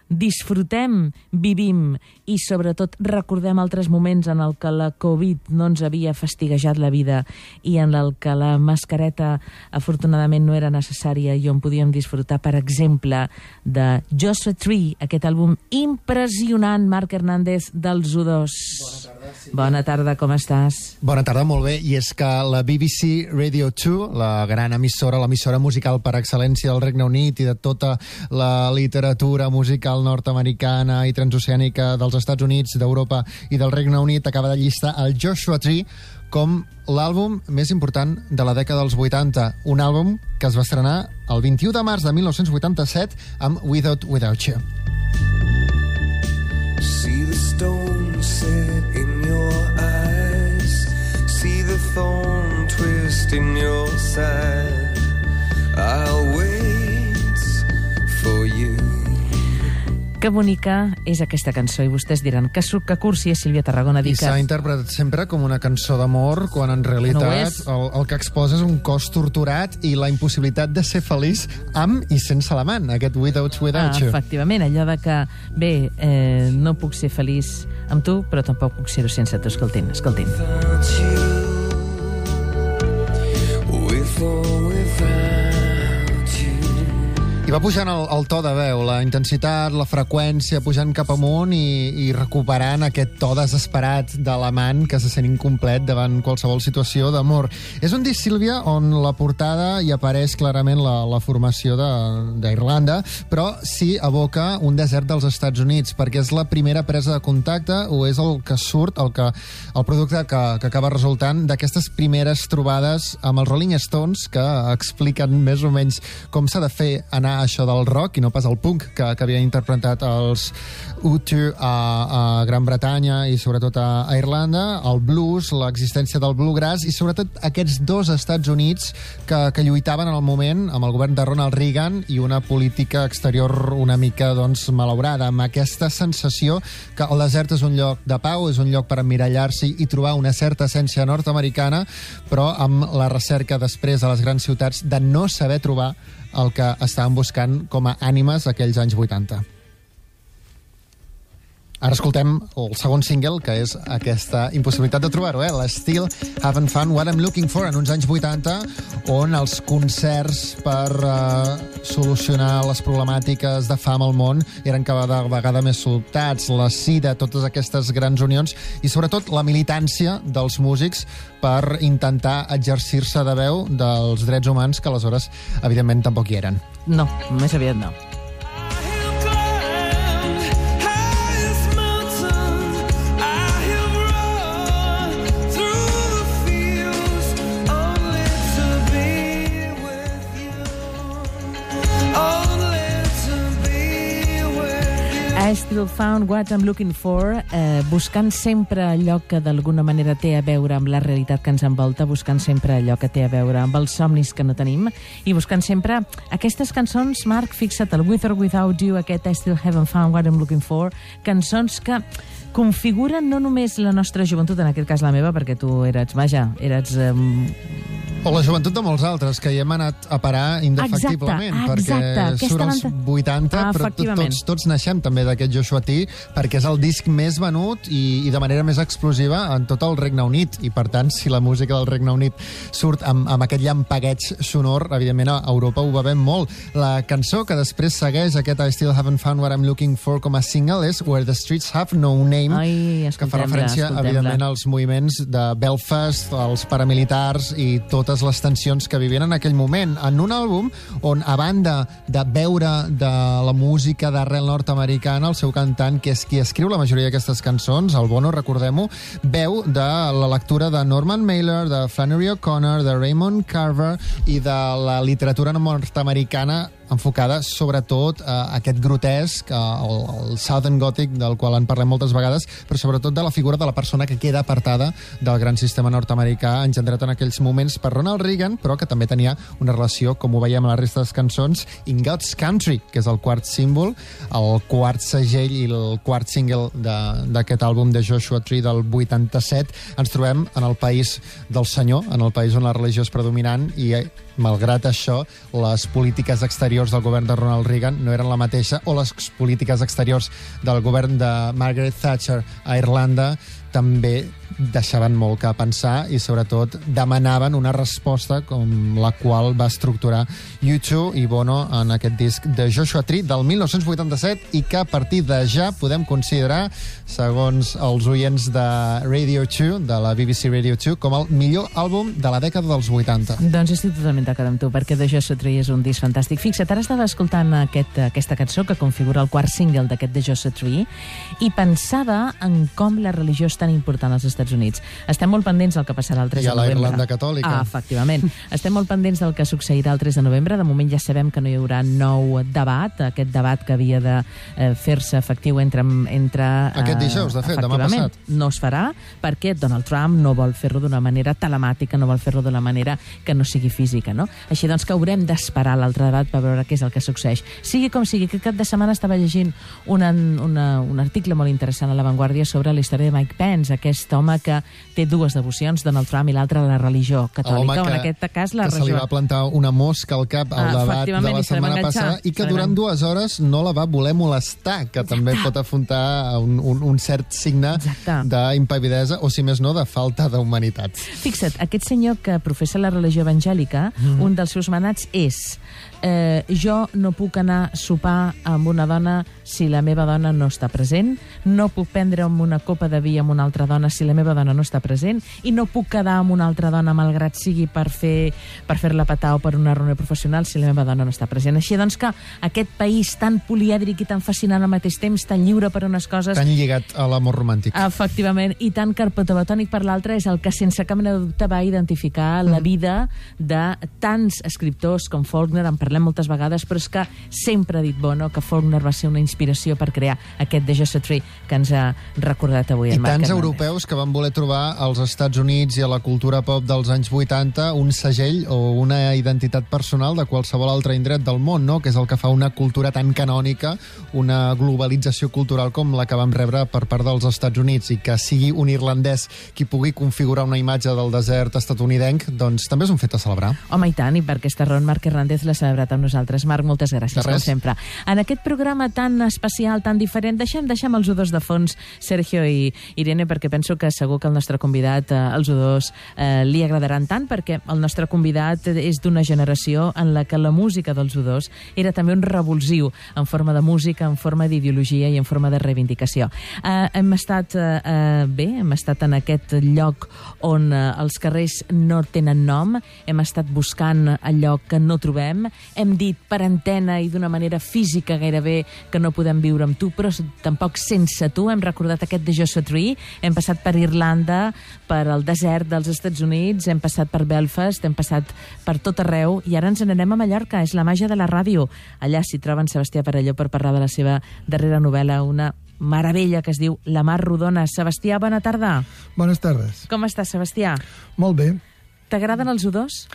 disfrutem, vivim i sobretot recordem altres moments en el que la Covid no ens havia fastiguejat la vida i en el que la mascareta afortunadament no era necessària i on podíem disfrutar, per exemple, de Joshua Tree, aquest àlbum impressionant, Marc Hernández, dels U dos. Bona tarda, Sílvia. Bona tarda, com estàs? Bona tarda, molt bé. I és que la B B C Radio dos, la gran emissora, l'emissora musical per excel·lència del Regne Unit i de tota la literatura musical nord-americana i transoceànica dels Estats Units, d'Europa i del Regne Unit, acaba de llistar el Joshua Tree com l'àlbum més important de la dècada dels vuitanta. Un àlbum que es va estrenar el vint-i-u de març de mil nou-cents vuitanta-set amb Without Without You. See the stone set in your eyes, see the thorn twist in your side, I'll wait for you. Que bonica és aquesta cançó, i vostès diran que suc que cursi és Sílvia Tarragona. I s'ha interpretat sempre com una cançó d'amor, quan en realitat no el, el que exposa és un cos torturat i la impossibilitat de ser feliç amb i sense l'amant, aquest Without Without ah, You. Efectivament, allò de que, bé, eh, no puc ser feliç amb tu, però tampoc puc ser-ho sense tu. Escoltin, escoltin. I va pujant el, el to de veu, la intensitat, la freqüència, pujant cap amunt i, i recuperant aquest to desesperat de l'amant que se sent incomplet davant qualsevol situació d'amor. És un disc, Sílvia, on la portada hi apareix clarament la, la formació d'Irlanda, però sí evoca un desert dels Estats Units, perquè és la primera presa de contacte o és el que surt, el, que, el producte que, que acaba resultant d'aquestes primeres trobades amb els Rolling Stones, que expliquen més o menys com s'ha de fer anar això del rock i no pas el punk que, que havien interpretat els U dos a, a Gran Bretanya i sobretot a, a Irlanda, el blues, l'existència del bluegrass i sobretot aquests dos Estats Units que, que lluitaven en el moment amb el govern de Ronald Reagan i una política exterior una mica doncs, malaurada, amb aquesta sensació que el desert és un lloc de pau, és un lloc per emmirallar-s'hi i trobar una certa essència nord-americana, però amb la recerca després a les grans ciutats de no saber trobar el que estaven buscant com a ànimes aquells anys vuitanta. Ara escoltem el segon single, que és aquesta impossibilitat de trobar-ho, eh? la Still Haven't Found What I'm Looking For, en uns anys vuitanta, on els concerts per uh, solucionar les problemàtiques de fam al món eren cada vegada més sobtats, la sida, totes aquestes grans unions, i sobretot la militància dels músics per intentar exercir-se de veu dels drets humans, que aleshores, evidentment, tampoc hi eren. No, més aviat no. I Still Found What I'm Looking For, eh, buscant sempre allò que d'alguna manera té a veure amb la realitat que ens envolta, buscant sempre allò que té a veure amb els somnis que no tenim i buscant sempre aquestes cançons, Marc, fixa't, el With or Without You, aquest I Still Haven't Found What I'm Looking For, cançons que configuren no només la nostra joventut, en aquest cas la meva, perquè tu eres, vaja, eres... Eh, o la joventut de molts altres, que hi hem anat a parar indefectiblement, exacte, exacte. perquè surt als vuitanta, ah, però tots, tots naixem també d'aquest Joshua Tree, perquè és el disc més venut i, i de manera més explosiva en tot el Regne Unit, i per tant, si la música del Regne Unit surt amb, amb aquest llampagueig sonor, evidentment a Europa ho bevem molt. La cançó que després segueix aquest I Still Haven't Found What I'm Looking For com a single és Where the Streets Have No Name, Ai, que fa referència, evidentment, als moviments de Belfast, els paramilitars i totes les tensions que vivien en aquell moment, en un àlbum on, a banda de veure de la música d'arrel nord-americana, el seu cantant, que és qui escriu la majoria d'aquestes cançons, el Bono, recordem-ho, veu de la lectura de Norman Mailer, de Flannery O'Connor, de Raymond Carver i de la literatura nord-americana enfocada sobretot a aquest grotesc, el, el Southern Gothic, del qual en parlem moltes vegades, però sobretot de la figura de la persona que queda apartada del gran sistema nord-americà engendrat en aquells moments per Ronald Reagan, però que també tenia una relació, com ho veiem a la resta de les cançons, In God's Country, que és el quart símbol, el quart segell i el quart single d'aquest àlbum de Joshua Tree del vuitanta-set. Ens trobem en el país del senyor, en el país on la religió és predominant i, malgrat això, les polítiques exteriors del govern de Ronald Reagan no eren la mateixa, o les polítiques exteriors del govern de Margaret Thatcher a Irlanda també deixaven molt que pensar i sobretot demanaven una resposta com la qual va estructurar U dos i Bono en aquest disc de Joshua Tree del mil nou-cents vuitanta-set i que a partir de ja podem considerar, segons els oients de Radio dos, de la B B C Radio dos, com el millor àlbum de la dècada dels vuitanta. Doncs estic totalment d'acord amb tu, perquè The Joshua Tree és un disc fantàstic. Fixa't, ara estava escoltant aquest, aquesta cançó que configura el quart single d'aquest The Joshua Tree i pensava en com la religió és tan important als Estats Units. Estem molt pendents del que passarà el tres de novembre. I a la Irlanda catòlica. Ah, efectivament. Estem molt pendents del que succeirà el tres de novembre. De moment ja sabem que no hi haurà nou debat, aquest debat que havia de eh, fer-se efectiu entre... entre aquest dijous, de fet, demà passat. No es farà perquè Donald Trump no vol fer-lo d'una manera telemàtica, no vol fer-lo d'una manera que no sigui física, no? Així doncs que haurem d'esperar l'altre debat per veure què és el que succeeix. Sigui com sigui, aquest cap de setmana estava llegint una, una, un article molt interessant a La Vanguardia sobre la història de Mike Pence, Pence, aquest home que té dues devocions, Donald Trump i l'altra la religió catòlica, o en aquest cas la religió. Que religió... se li va plantar una mosca al cap al ah, debat de la setmana passada i que durant dues hores no la va voler molestar, que Exacte. també pot afrontar un, un, un cert signe d'impavidesa o, si més no, de falta d'humanitat. Fixa't, aquest senyor que professa la religió evangèlica, mm. un dels seus manats és eh, jo no puc anar a sopar amb una dona si la meva dona no està present, no puc prendre'm una copa de vi amb una altra dona si la meva dona no està present, i no puc quedar amb una altra dona malgrat sigui per fer per fer-la petar o per una reunió professional si la meva dona no està present. Així doncs que aquest país tan polièdric i tan fascinant al mateix temps, tan lliure per unes coses... Tan lligat a l'amor romàntic. Efectivament, i tan carpetobatònic per l'altre, és el que sense cap mena de dubte va identificar mm. la vida de tants escriptors com Faulkner, en parlem moltes vegades, però és que sempre ha dit Bono que Faulkner va ser una inspiració per crear aquest The Joshua Tree que ens ha recordat avui en Marc Hernández. I tants Hernández. europeus que van voler trobar als Estats Units i a la cultura pop dels anys vuitanta un segell o una identitat personal de qualsevol altre indret del món, no? Que és el que fa una cultura tan canònica, una globalització cultural com la que vam rebre per part dels Estats Units, i que sigui un irlandès qui pugui configurar una imatge del desert estatunidenc, doncs també és un fet a celebrar. Home, i tant, i per aquesta raó Marc Hernández l'ha celebrat amb nosaltres. Marc, moltes gràcies, com sempre. En aquest programa tan especial, tan diferent, deixem, deixem els U dos de fons, Sergio i Irene, perquè penso que segur que el nostre convidat, eh, els U dos, eh, li agradaran tant, perquè el nostre convidat és d'una generació en la que la música dels U dos era també un revulsiu en forma de música, en forma d'ideologia i en forma de reivindicació. Eh, hem estat eh, bé, hem estat en aquest lloc on eh, els carrers no tenen nom, hem estat buscant allò que no trobem, hem dit per antena i d'una manera física gairebé que no podem viure amb tu, però tampoc sense tu. Hem recordat aquest The Joshua Tree, hem passat per Irlanda, per el desert dels Estats Units, hem passat per Belfast, hem passat per tot arreu, i ara ens n'anem a Mallorca. És la màgia de la ràdio. Allà s'hi troben Sebastià Perelló per parlar de la seva darrera novel·la, una meravella que es diu La mar rodona. Sebastià, bona tarda. Bones tardes. Com estàs, Sebastià? Molt bé. T'agraden els U dos?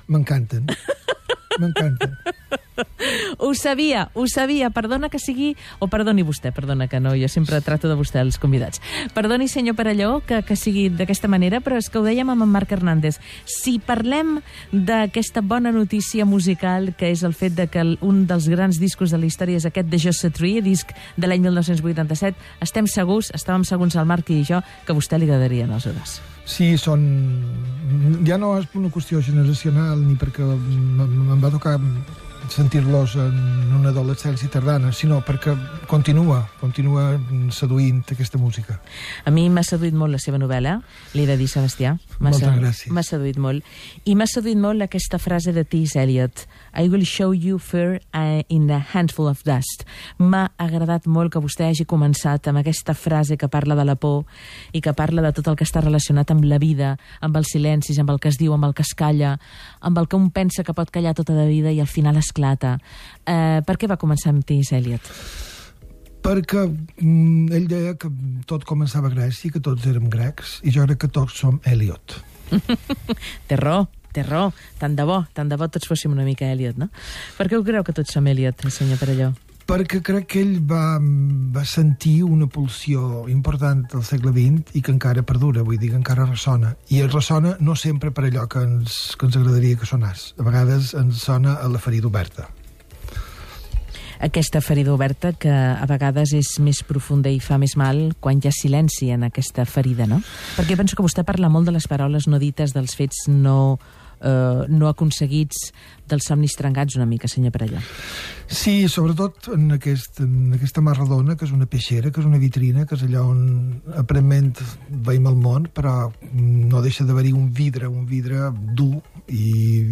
M'encanten. M'encanten. Ho sabia, ho sabia. Perdona que sigui... O perdoni vostè, perdona que no, jo sempre trato de vostè els convidats. Perdoni, senyor Perelló, que, que sigui d'aquesta manera, però és que ho dèiem amb en Marc Hernández. Si parlem d'aquesta bona notícia musical, que és el fet de que un dels grans discos de la història és aquest The Joshua Tree, disc de l'any mil nou-cents vuitanta-set, estem segurs, estàvem segurs el Marc i jo, que a vostè li agradarien els U dos. Sí, són... Ja no és una qüestió generacional, ni perquè em va tocar sentir-los en una adolescència tardana, sinó perquè continua, continua seduint aquesta música. A mi m'ha seduït molt la seva novel·la, l'he de dir, Sebastià. Moltes gràcies. M'ha seduït molt. I m'ha seduït molt aquesta frase de T S. Eliot, I will show you fear in a handful of dust. M'ha agradat molt que vostè hagi començat amb aquesta frase que parla de la por i que parla de tot el que està relacionat amb la vida, amb els silencis, amb el que es diu, amb el que es calla, amb el que un pensa que pot callar tota la vida i al final esclata. Eh, per què va començar amb T S. Eliot? Perquè mm, ell deia que tot començava a Grècia, que tots érem grecs, i jo crec que tots som Eliot. Té raó, té raó. Tant de bo, tant de bo tots fóssim una mica Eliot, no? Per què ho creu que tots som Eliot, senyor Perelló? Perquè crec que ell va, va sentir una pulsió important del segle vint i que encara perdura, vull dir que encara ressona. I el ressona no sempre per allò que ens, que ens agradaria que sonàs. A vegades ens sona a la ferida oberta. Aquesta ferida oberta que a vegades és més profunda i fa més mal quan hi ha silenci en aquesta ferida, no? Perquè penso que vostè parla molt de les paraules no dites, dels fets no... Uh, no aconseguits, dels somnis trencats una mica, senyor Perelló. Sí, sobretot en, aquest, en aquesta mar redona, que és una peixera, que és una vitrina, que és allà on aparentment veiem el món, però no deixa d'haver-hi un vidre, un vidre dur i,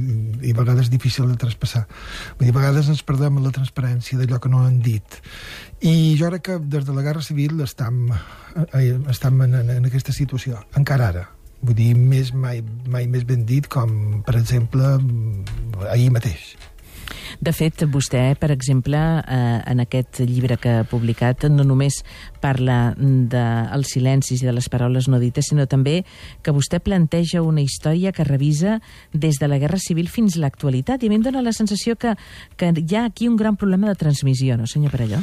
i a vegades difícil de traspassar. Vull dir, a vegades ens perdem en la transparència d'allò que no han dit. I jo crec que des de la Guerra Civil estem, eh, estem en, en, en aquesta situació, encara ara. Vull dir, més, mai, mai més ben dit com, per exemple, ahir mateix. De fet, vostè, per exemple, eh, en aquest llibre que ha publicat, no només parla dels silencis i de les paraules no dites, sinó també que vostè planteja una història que revisa des de la Guerra Civil fins a l'actualitat. I a mi em dóna la sensació que, que hi ha aquí un gran problema de transmissió, no, senyor Perelló?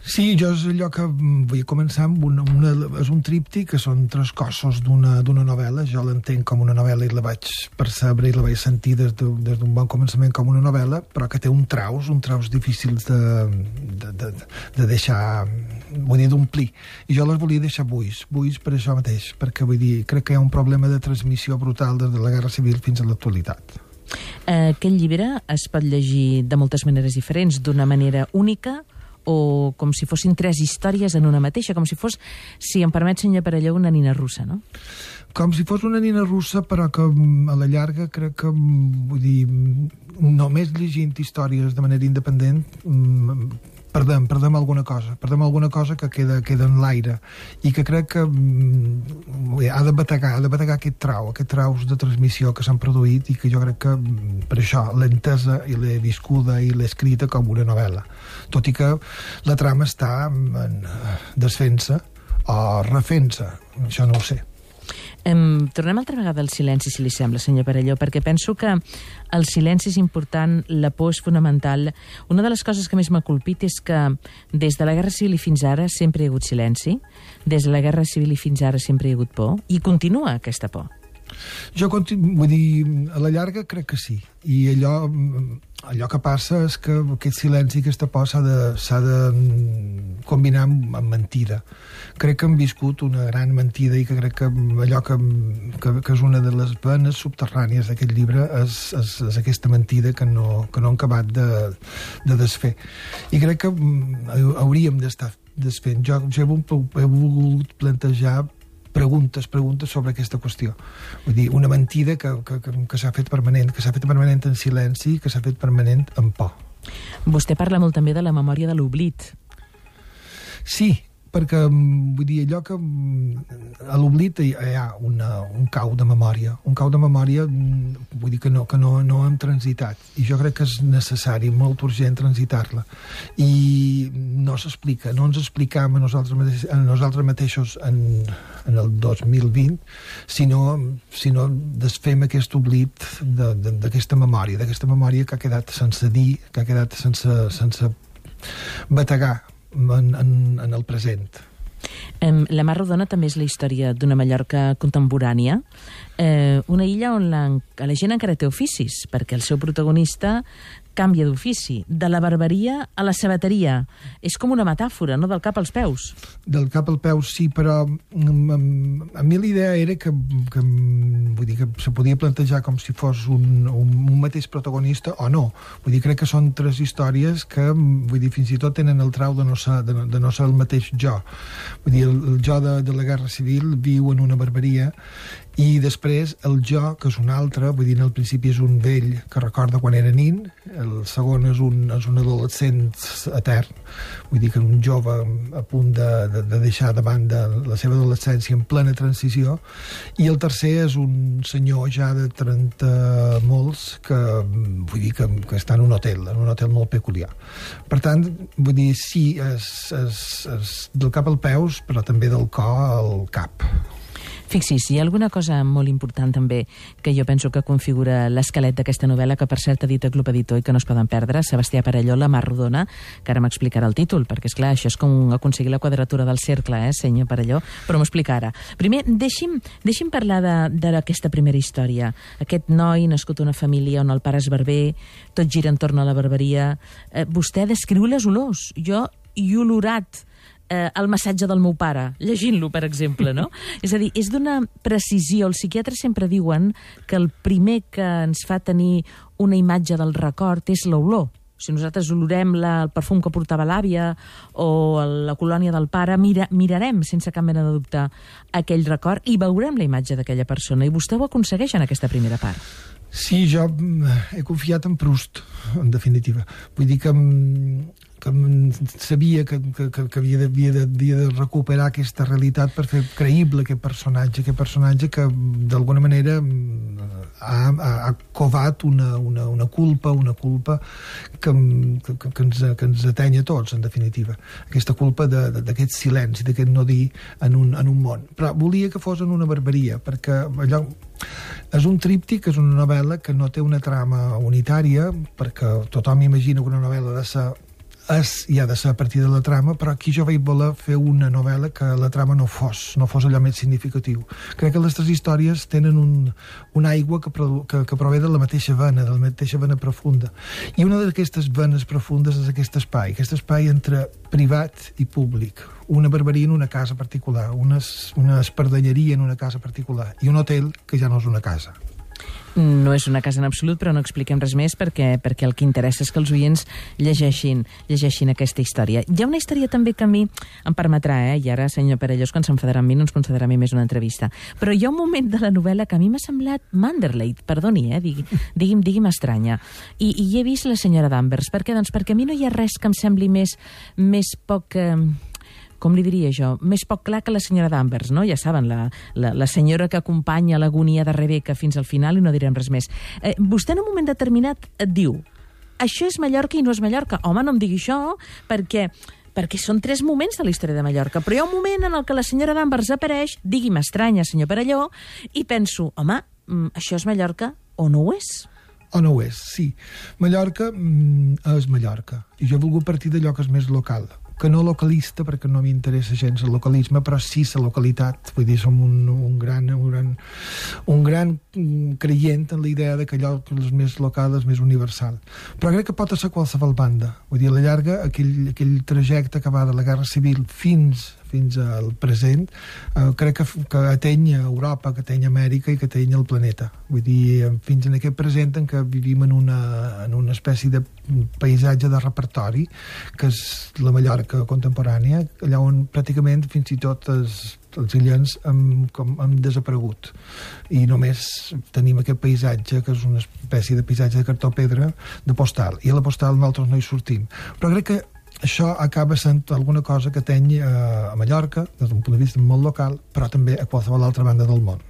Sí, jo és allò que vull començar amb una, una, és un tríptic que són tres cossos d'una d'una novel·la. Jo l'entenc com una novel·la i la vaig percebre i la vaig sentir des d'un de, des bon començament com una novel·la, però que té un traus, un traus difícils de, de, de, de deixar, vull dir, d'omplir. I jo les volia deixar buits, buits per això mateix, perquè vull dir, crec que hi ha un problema de transmissió brutal des de la Guerra Civil fins a l'actualitat. Aquest llibre es pot llegir de moltes maneres diferents, d'una manera única, o com si fossin tres històries en una mateixa, com si fos, si em permet, senyor Perelló, una nina russa, no? Com si fos una nina russa, però que a la llarga crec que, vull dir, només llegint històries de manera independent perdem, perdem alguna cosa, perdem alguna cosa que queda, queda en l'aire i que crec que ha de bategar, ha de bategar aquest trau, aquest traus de transmissió que s'han produït i que jo crec que per això l'he entesa i l'he viscuda i l'he escrita com una novel·la, tot i que la trama està en desfent-se o refent-se, això no ho sé. Um, tornem altra vegada al silenci, si li sembla, senyor Perelló, perquè penso que el silenci és important, la por és fonamental. Una de les coses que més m'ha colpit és que des de la Guerra Civil i fins ara sempre hi ha hagut silenci, des de la Guerra Civil i fins ara sempre hi ha hagut por, i continua aquesta por. Jo, vull dir, a la llarga crec que sí. I allò, allò que passa és que aquest silenci, aquesta por s'ha de, s'ha de combinar amb, amb mentida. Crec que hem viscut una gran mentida i que crec que allò que, que, que és una de les venes subterrànies d'aquest llibre és, és, és aquesta mentida que no, que no hem acabat de, de desfer. I crec que hauríem d'estar desfent. Jo, jo he volgut plantejar preguntes, preguntes sobre aquesta qüestió. Vull dir, una mentida que, que, que, que s'ha fet permanent, que s'ha fet permanent en silenci, que s'ha fet permanent en por. Vostè parla molt també de la memòria de l'oblit. Sí, perquè, vull dir, allò que a l'oblit hi ha una, un cau de memòria, un cau de memòria, vull dir que no, que no, no hem transitat, i jo crec que és necessari, molt urgent transitar-la, i no s'explica, no ens explicam a nosaltres mateixos, a nosaltres mateixos en, en el dos mil vint, sinó, sinó desfem aquest oblit d'aquesta memòria, d'aquesta memòria que ha quedat sense dir, que ha quedat sense, sense bategar En, en, en el present. Um, la Mar Rodona també és la història d'una Mallorca contemporània, eh, una illa on la, la gent encara té oficis, perquè el seu protagonista canvia d'ofici, de la barberia a la sabateria. És com una metàfora, no?, del cap als peus. Del cap als peus, sí, però um, a mi l'idea era que, que, vull dir, que se podia plantejar com si fos un, un, un mateix protagonista o no. Vull dir, crec que són tres històries que, vull dir, fins i tot tenen el trau de no ser, de, de no ser el mateix jo. Vull dir, el, el jo de, de la Guerra Civil viu en una barberia i després el jo, que és un altre, vull dir, en el principi és un vell que recorda quan era nin, el segon és un, és un adolescent etern, vull dir que un jove a punt de, de, de deixar de banda la seva adolescència en plena transició, i el tercer és un senyor ja de trenta molts que, vull dir, que, que està en un hotel, en un hotel molt peculiar. Per tant, vull dir, sí, és, és, és del cap als peus, però també del cor al cap. Fixi's, hi ha alguna cosa molt important també que jo penso que configura l'esquelet d'aquesta novel·la, que per cert ha dit el Club Editor i que no es poden perdre, Sebastià Perelló, La Mar Rodona, que ara m'explicarà el títol, perquè és clar, això és com aconseguir la quadratura del cercle, eh, senyor Perelló, però m'ho explicarà. Primer, deixi'm, deixi'm parlar d'aquesta primera història. Aquest noi nascut a una família on el pare és barber, tot gira entorn a la barberia. Eh, vostè descriu les olors. Jo hi he olorat Eh, el massatge del meu pare, llegint-lo, per exemple, no? És a dir, és d'una precisió. Els psiquiatres sempre diuen que el primer que ens fa tenir una imatge del record és l'olor. Si nosaltres olorem la, el perfum que portava l'àvia o la colònia del pare, mira, mirarem sense cap mena de dubte aquell record i veurem la imatge d'aquella persona. I vostè ho aconsegueix en aquesta primera part. Sí, jo he confiat en Proust, en definitiva. Vull dir que que sabia que, que, que havia, de, havia, de, havia de recuperar aquesta realitat per fer creïble aquest personatge, aquest personatge que d'alguna manera ha, ha, ha covat una, una, una culpa, una culpa que, que, que, ens, que ens ateny a tots, en definitiva. Aquesta culpa d'aquest silenci, d'aquest no dir en un, en un món. Però volia que fos en una barberia, perquè allò és un tríptic, és una novel·la que no té una trama unitària, perquè tothom imagina que una novel·la ha de ser és, i ha de ser a partir de la trama, però aquí jo vaig voler fer una novel·la que la trama no fos, no fos allò més significatiu. Crec que les tres històries tenen un, una aigua que, que, que prové de la mateixa vena, de la mateixa vena profunda. I una d'aquestes venes profundes és aquest espai, aquest espai entre privat i públic. Una barberia en una casa particular, una, una espardenyeria en una casa particular, i un hotel que ja no és una casa. No és una casa en absolut, però no expliquem res més perquè, perquè el que interessa és que els oients llegeixin, llegeixin aquesta història. Hi ha una història també que a mi em permetrà, eh? I ara, senyor Perellós, quan s'enfadarà amb mi no ens concederà a mi més una entrevista. Però hi ha un moment de la novel·la que a mi m'ha semblat Manderley, perdoni, eh? Digui, digui'm, digui'm estranya. I, I he vist la senyora Danvers. Per què? Doncs perquè a mi no hi ha res que em sembli més, més poc... Eh... com li diria jo, més poc clar que la senyora Danvers, no? Ja saben, la, la, la senyora que acompanya l'agonia de Rebeca fins al final i no direm res més. Eh, vostè en un moment determinat et diu això és Mallorca i no és Mallorca. Home, no em digui això, perquè, perquè són tres moments de la història de Mallorca, però hi ha un moment en el que la senyora Danvers apareix, digui'm estranya, senyor Perelló, i penso, home, això és Mallorca o no ho és? O no ho és, sí. Mallorca mm, és Mallorca, i jo he volgut partir d'allò que és més local, que no localista, perquè no m'interessa gens el localisme, però sí la localitat. Vull dir, som un, un gran, un gran, un gran creient en la idea de que allò que és més local és més universal. Però crec que pot ser qualsevol banda. Vull dir, a la llarga, aquell, aquell trajecte que va de la Guerra Civil fins fins al present, eh, crec que, que ateny Europa, que ateny Amèrica i que ateny el planeta. Vull dir, fins en aquest present en què vivim en una, en una espècie de paisatge de repertori, que és la Mallorca contemporània, allà on pràcticament fins i tot els, els illens hem, com, hem desaparegut. I només tenim aquest paisatge, que és una espècie de paisatge de cartó-pedra, de postal. I a la postal nosaltres no hi sortim. Però crec que això acaba sent alguna cosa que ateny a Mallorca, des d'un punt de vista molt local, però també a qualsevol altra banda del món.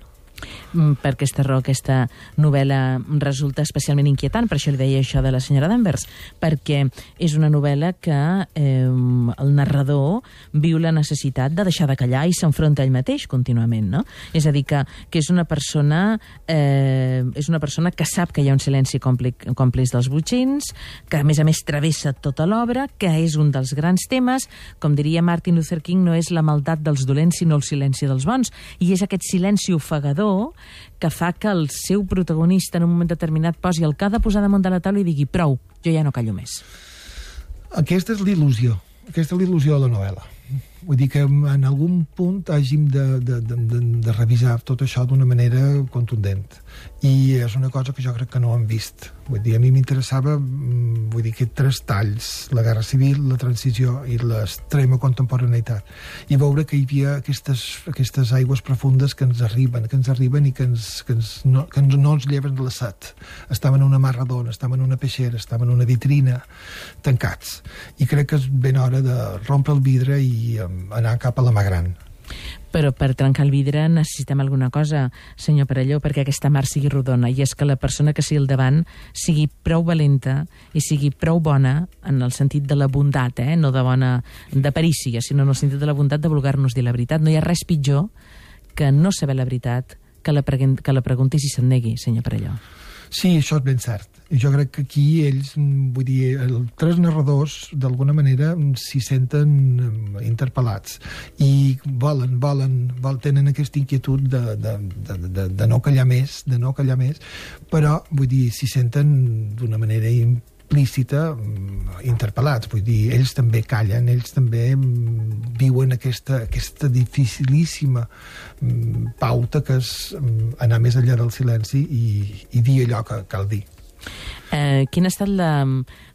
Per aquesta raó, aquesta novel·la resulta especialment inquietant, per això li deia això de la senyora Danvers, perquè és una novel·la que eh, el narrador viu la necessitat de deixar de callar i s'enfronta ell mateix contínuament, no? És a dir, que, que és una persona eh, és una persona que sap que hi ha un silenci còmplice dels botxins, que a més a més travessa tota l'obra, que és un dels grans temes, com diria Martin Luther King, no és la maldat dels dolents sinó el silenci dels bons, i és aquest silenci ofegador que fa que el seu protagonista en un moment determinat posi el que ha de posar damunt de la taula i digui prou, jo ja no callo més. Aquesta és l'il·lusió, aquesta és l'il·lusió de la novel·la. Vull dir que en algun punt hàgim de, de, de, de revisar tot això d'una manera contundent. I és una cosa que jo crec que no hem vist. Vull dir, a mi m'interessava, vull dir, que tres talls, la Guerra Civil, la transició i l'extrema contemporaneïtat. I veure que hi havia aquestes, aquestes aigües profundes que ens arriben, que ens arriben i que, ens, que, ens, no, que ens, no ens lleven de la set. Estàvem en una mar redona, estàvem en una peixera, estàvem en una vitrina, tancats. I crec que és ben hora de rompre el vidre i anar cap a la mà gran. Però per trencar el vidre necessitem alguna cosa, senyor Perelló, perquè aquesta mar sigui rodona, i és que la persona que sigui al davant sigui prou valenta i sigui prou bona en el sentit de la bondat, eh? No de bona de perícia, sinó en el sentit de la bondat de voler-nos dir la veritat. No hi ha res pitjor que no saber la veritat, que la, que la pregunti si se'n negui, senyor Perelló. Sí, això és ben cert. Jo crec que aquí ells, vull dir, els tres narradors, d'alguna manera, s'hi senten interpel·lats i volen, volen, volen, tenen aquesta inquietud de, de, de, de, de no callar més, de no callar més, però, vull dir, s'hi senten d'una manera implícita interpel·lats. Vull dir, ells també callen, ells també viuen aquesta, aquesta dificilíssima pauta que és anar més enllà del silenci i, i dir allò que cal dir. Eh, quina ha estat la,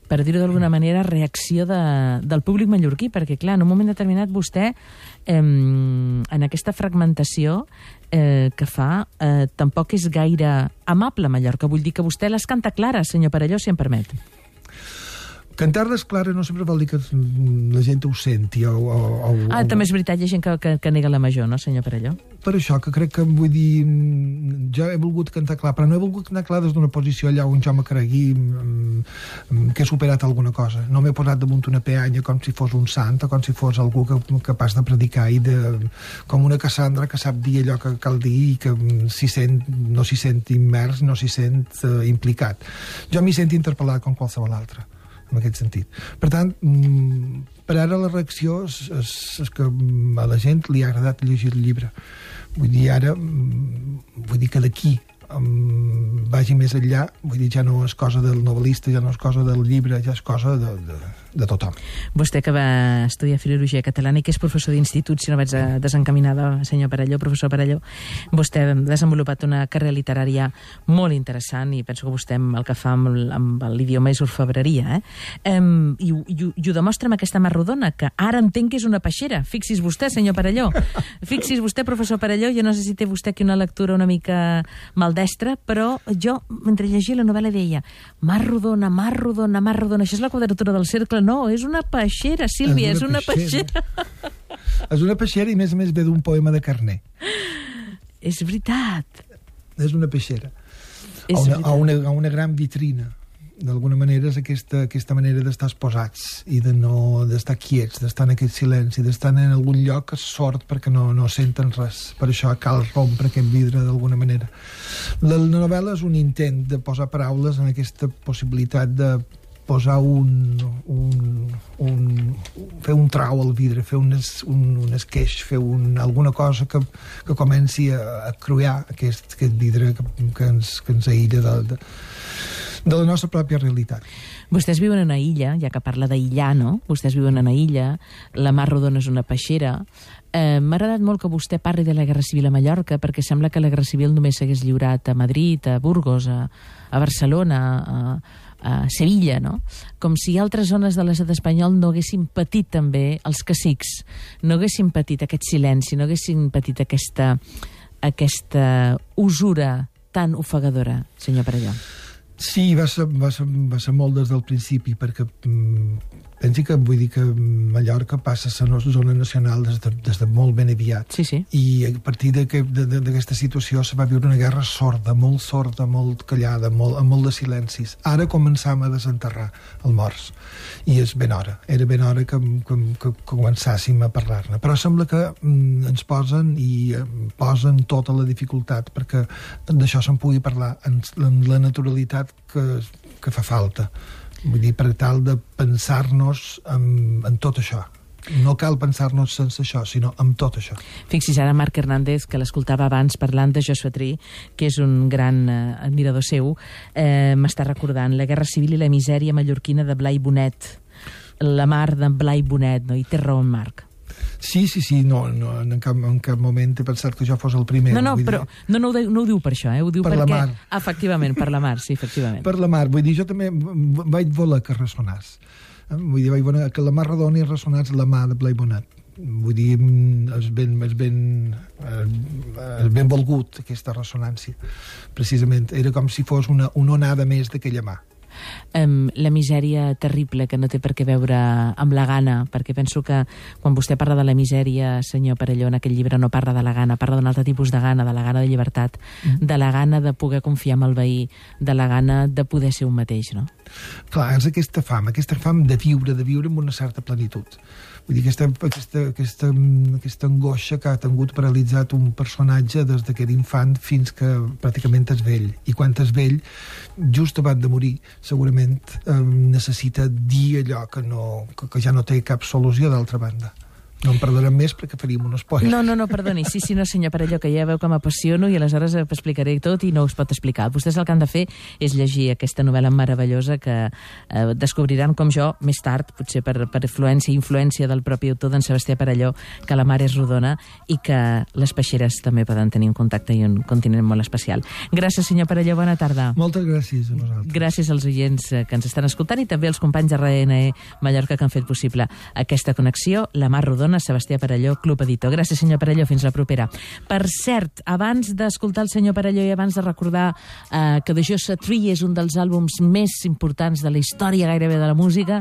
per dir-ho d'alguna manera, reacció de, del públic mallorquí? Perquè, clar, en un moment determinat vostè, eh, en aquesta fragmentació eh, que fa, eh, tampoc és gaire amable Mallorca. Vull dir que vostè les canta clares, senyor Perelló, si em permet. Cantar-les clares no sempre vol dir que la gent ho senti. O, o, o, ah, o... també és veritat, hi ha gent que, que, que nega la major, no, senyor Perelló? Per això, que crec que, vull dir, jo he volgut cantar clar, però no he volgut cantar clar des d'una posició allà on jo me cregui que he superat alguna cosa. No m'he posat damunt una peanya com si fos un sant o com si fos algú que, capaç de predicar i de, com una Cassandra que sap dir allò que cal dir i que s'hi sent, no s'hi sent immers, no s'hi sent uh, implicat. Jo m'hi sent interpel·lat com qualsevol altre. en aquest sentit. Per tant, per ara la reacció és, és, és que a la gent li ha agradat llegir el llibre. Vull dir, ara, vull dir que d'aquí um, vagi més enllà, vull dir, ja no és cosa del novel·lista, ja no és cosa del llibre, ja és cosa de, de, de tothom. Vostè que va estudiar Filologia Catalana i que és professor d'institut, si no vaig desencaminada, senyor Perelló, professor Perelló, vostè ha desenvolupat una carrera literària molt interessant i penso que vostè el que fa amb, amb l'idioma és orfebreria, eh? Um, i, i, I ho demostra amb aquesta mà rodona, que ara entenc que és una peixera. Fixis vostè, senyor Perelló. Fixis vostè, professor Perelló, jo no sé si té vostè aquí una lectura una mica maldestra, però jo, mentre llegia la novel·la, deia mar rodona, mar rodona, mar rodona. Això és la quadratura del cercle. No, és una peixera, Sílvia, és una, és una peixera. peixera. És una peixera i, a més a més, ve d'un poema de Carner. És veritat. És una peixera. És a, una, veritat. a, una, a una gran vitrina. D'alguna manera és aquesta, aquesta manera d'estar posats i de no d'estar quiets, d'estar en aquest silenci, d'estar en algun lloc que és sord perquè no, no senten res. Per això cal rompre aquest vidre d'alguna manera. La, la novel·la és un intent de posar paraules en aquesta possibilitat de posar un, un, un fer un trau al vidre, fer un, es, un, un esqueix, fer un, alguna cosa que, que comenci a, a cruiar aquest, aquest vidre que, que, ens, que ens aïlla de, de, de la nostra pròpia realitat. Vostès viuen en una illa, ja que parla d'aïllar, no? Vostès viuen en una illa, la mar rodona és una peixera. Eh, M'ha agradat molt que vostè parli de la Guerra Civil a Mallorca, perquè sembla que la Guerra Civil només s'hagués lliurat a Madrid, a Burgos, a, a Barcelona, a, a Sevilla, no? Com si altres zones de l'estat espanyol no haguessin patit també els cacics, no haguessin patit aquest silenci, no haguessin patit aquesta, aquesta usura tan ofegadora, senyor Perelló. Sí, va ser, va ser, va ser molt des del principi, perquè mm, pensi que vull dir que Mallorca passa a ser una zona nacional des de, des de molt ben aviat. Sí, sí. I a partir d'aquesta situació se va viure una guerra sorda, molt sorda, molt callada, molt, amb molt de silencis. Ara començam a desenterrar el morts. I és ben hora. Era ben hora que, que, que començàssim a parlar-ne. Però sembla que mm, ens posen i eh, posen tota la dificultat perquè d'això se'n pugui parlar en, en la naturalitat que, que fa falta. Vull dir, per tal de pensar-nos en, en tot això. No cal pensar-nos sense això, sinó amb tot això. Fixis ara Marc Hernández, que l'escoltava abans parlant de Josué Trí, que és un gran eh, admirador seu, eh, m'està recordant la Guerra Civil i la misèria mallorquina de Blai Bonet. La mar de Blai Bonet, no? I té raó en Marc. Sí, sí, sí, no, no en, cap, en cap moment he pensat que jo fos el primer. No, no, vull però dir... no, no, ho, no ho diu per això, eh? Ho diu per perquè... la mar. Efectivament, per la mar, sí, efectivament. Per la mar, vull dir, jo també vaig voler que ressonàs. Vull dir, vaig voler que la mar redona i ressonàs la mà de Blai Bonet. Vull dir, és ben, és ben, és ben volgut aquesta ressonància. Precisament, era com si fos una, una onada més d'aquella mà. Um, la misèria terrible que no té per què veure amb la gana, perquè penso que quan vostè parla de la misèria, senyor Perelló, en aquell llibre no parla de la gana, parla d'un altre tipus de gana, de la gana de llibertat, mm. de la gana de poder confiar en el veí, de la gana de poder ser un mateix, no? Clar, és aquesta fam, aquesta fam de viure, de viure amb una certa plenitud. Vull dir, aquesta, aquesta, aquesta, aquesta angoixa que ha tingut paralitzat un personatge des que era infant fins que pràcticament és vell. I quan és vell, just abans de morir, segurament eh, necessita dir allò que, no, que, que ja no té cap solució d'altra banda. No em perdonem més perquè faríem un spoiler. No, no, no, perdoni. Sí, sí, no, senyor Perelló, que ja veu que m'apassiono i aleshores explicaré tot i no us pot explicar. Vostès el que han de fer és llegir aquesta novel·la meravellosa que eh, descobriran com jo, més tard, potser per, per influència i influència del propi autor d'en Sebastià Perelló, que la mar és rodona i que les peixeres també poden tenir un contacte i un continent molt especial. Gràcies, senyor Perelló, bona tarda. Moltes gràcies a vosaltres. Gràcies als oients que ens estan escoltant i també als companys de R N E Mallorca que han fet possible aquesta connexió. La mar rodona, Sebastià Perelló, Club Editor. Gràcies, senyor Perelló, fins la propera. Per cert, abans d'escoltar el senyor Perelló i abans de recordar eh, que The Joshua Tree és un dels àlbums més importants de la història gairebé de la música,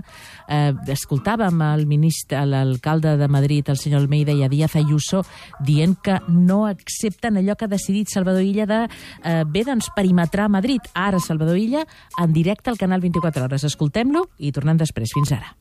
eh, escoltàvem el ministre, l'alcalde de Madrid, el senyor Almeida i a Díaz Ayuso, dient que no accepten allò que ha decidit Salvador Illa de eh, bé, doncs, perimetrar Madrid. Ara Salvador Illa en directe al canal vint-i-quatre hores. Escoltem-lo i tornem després. Fins ara.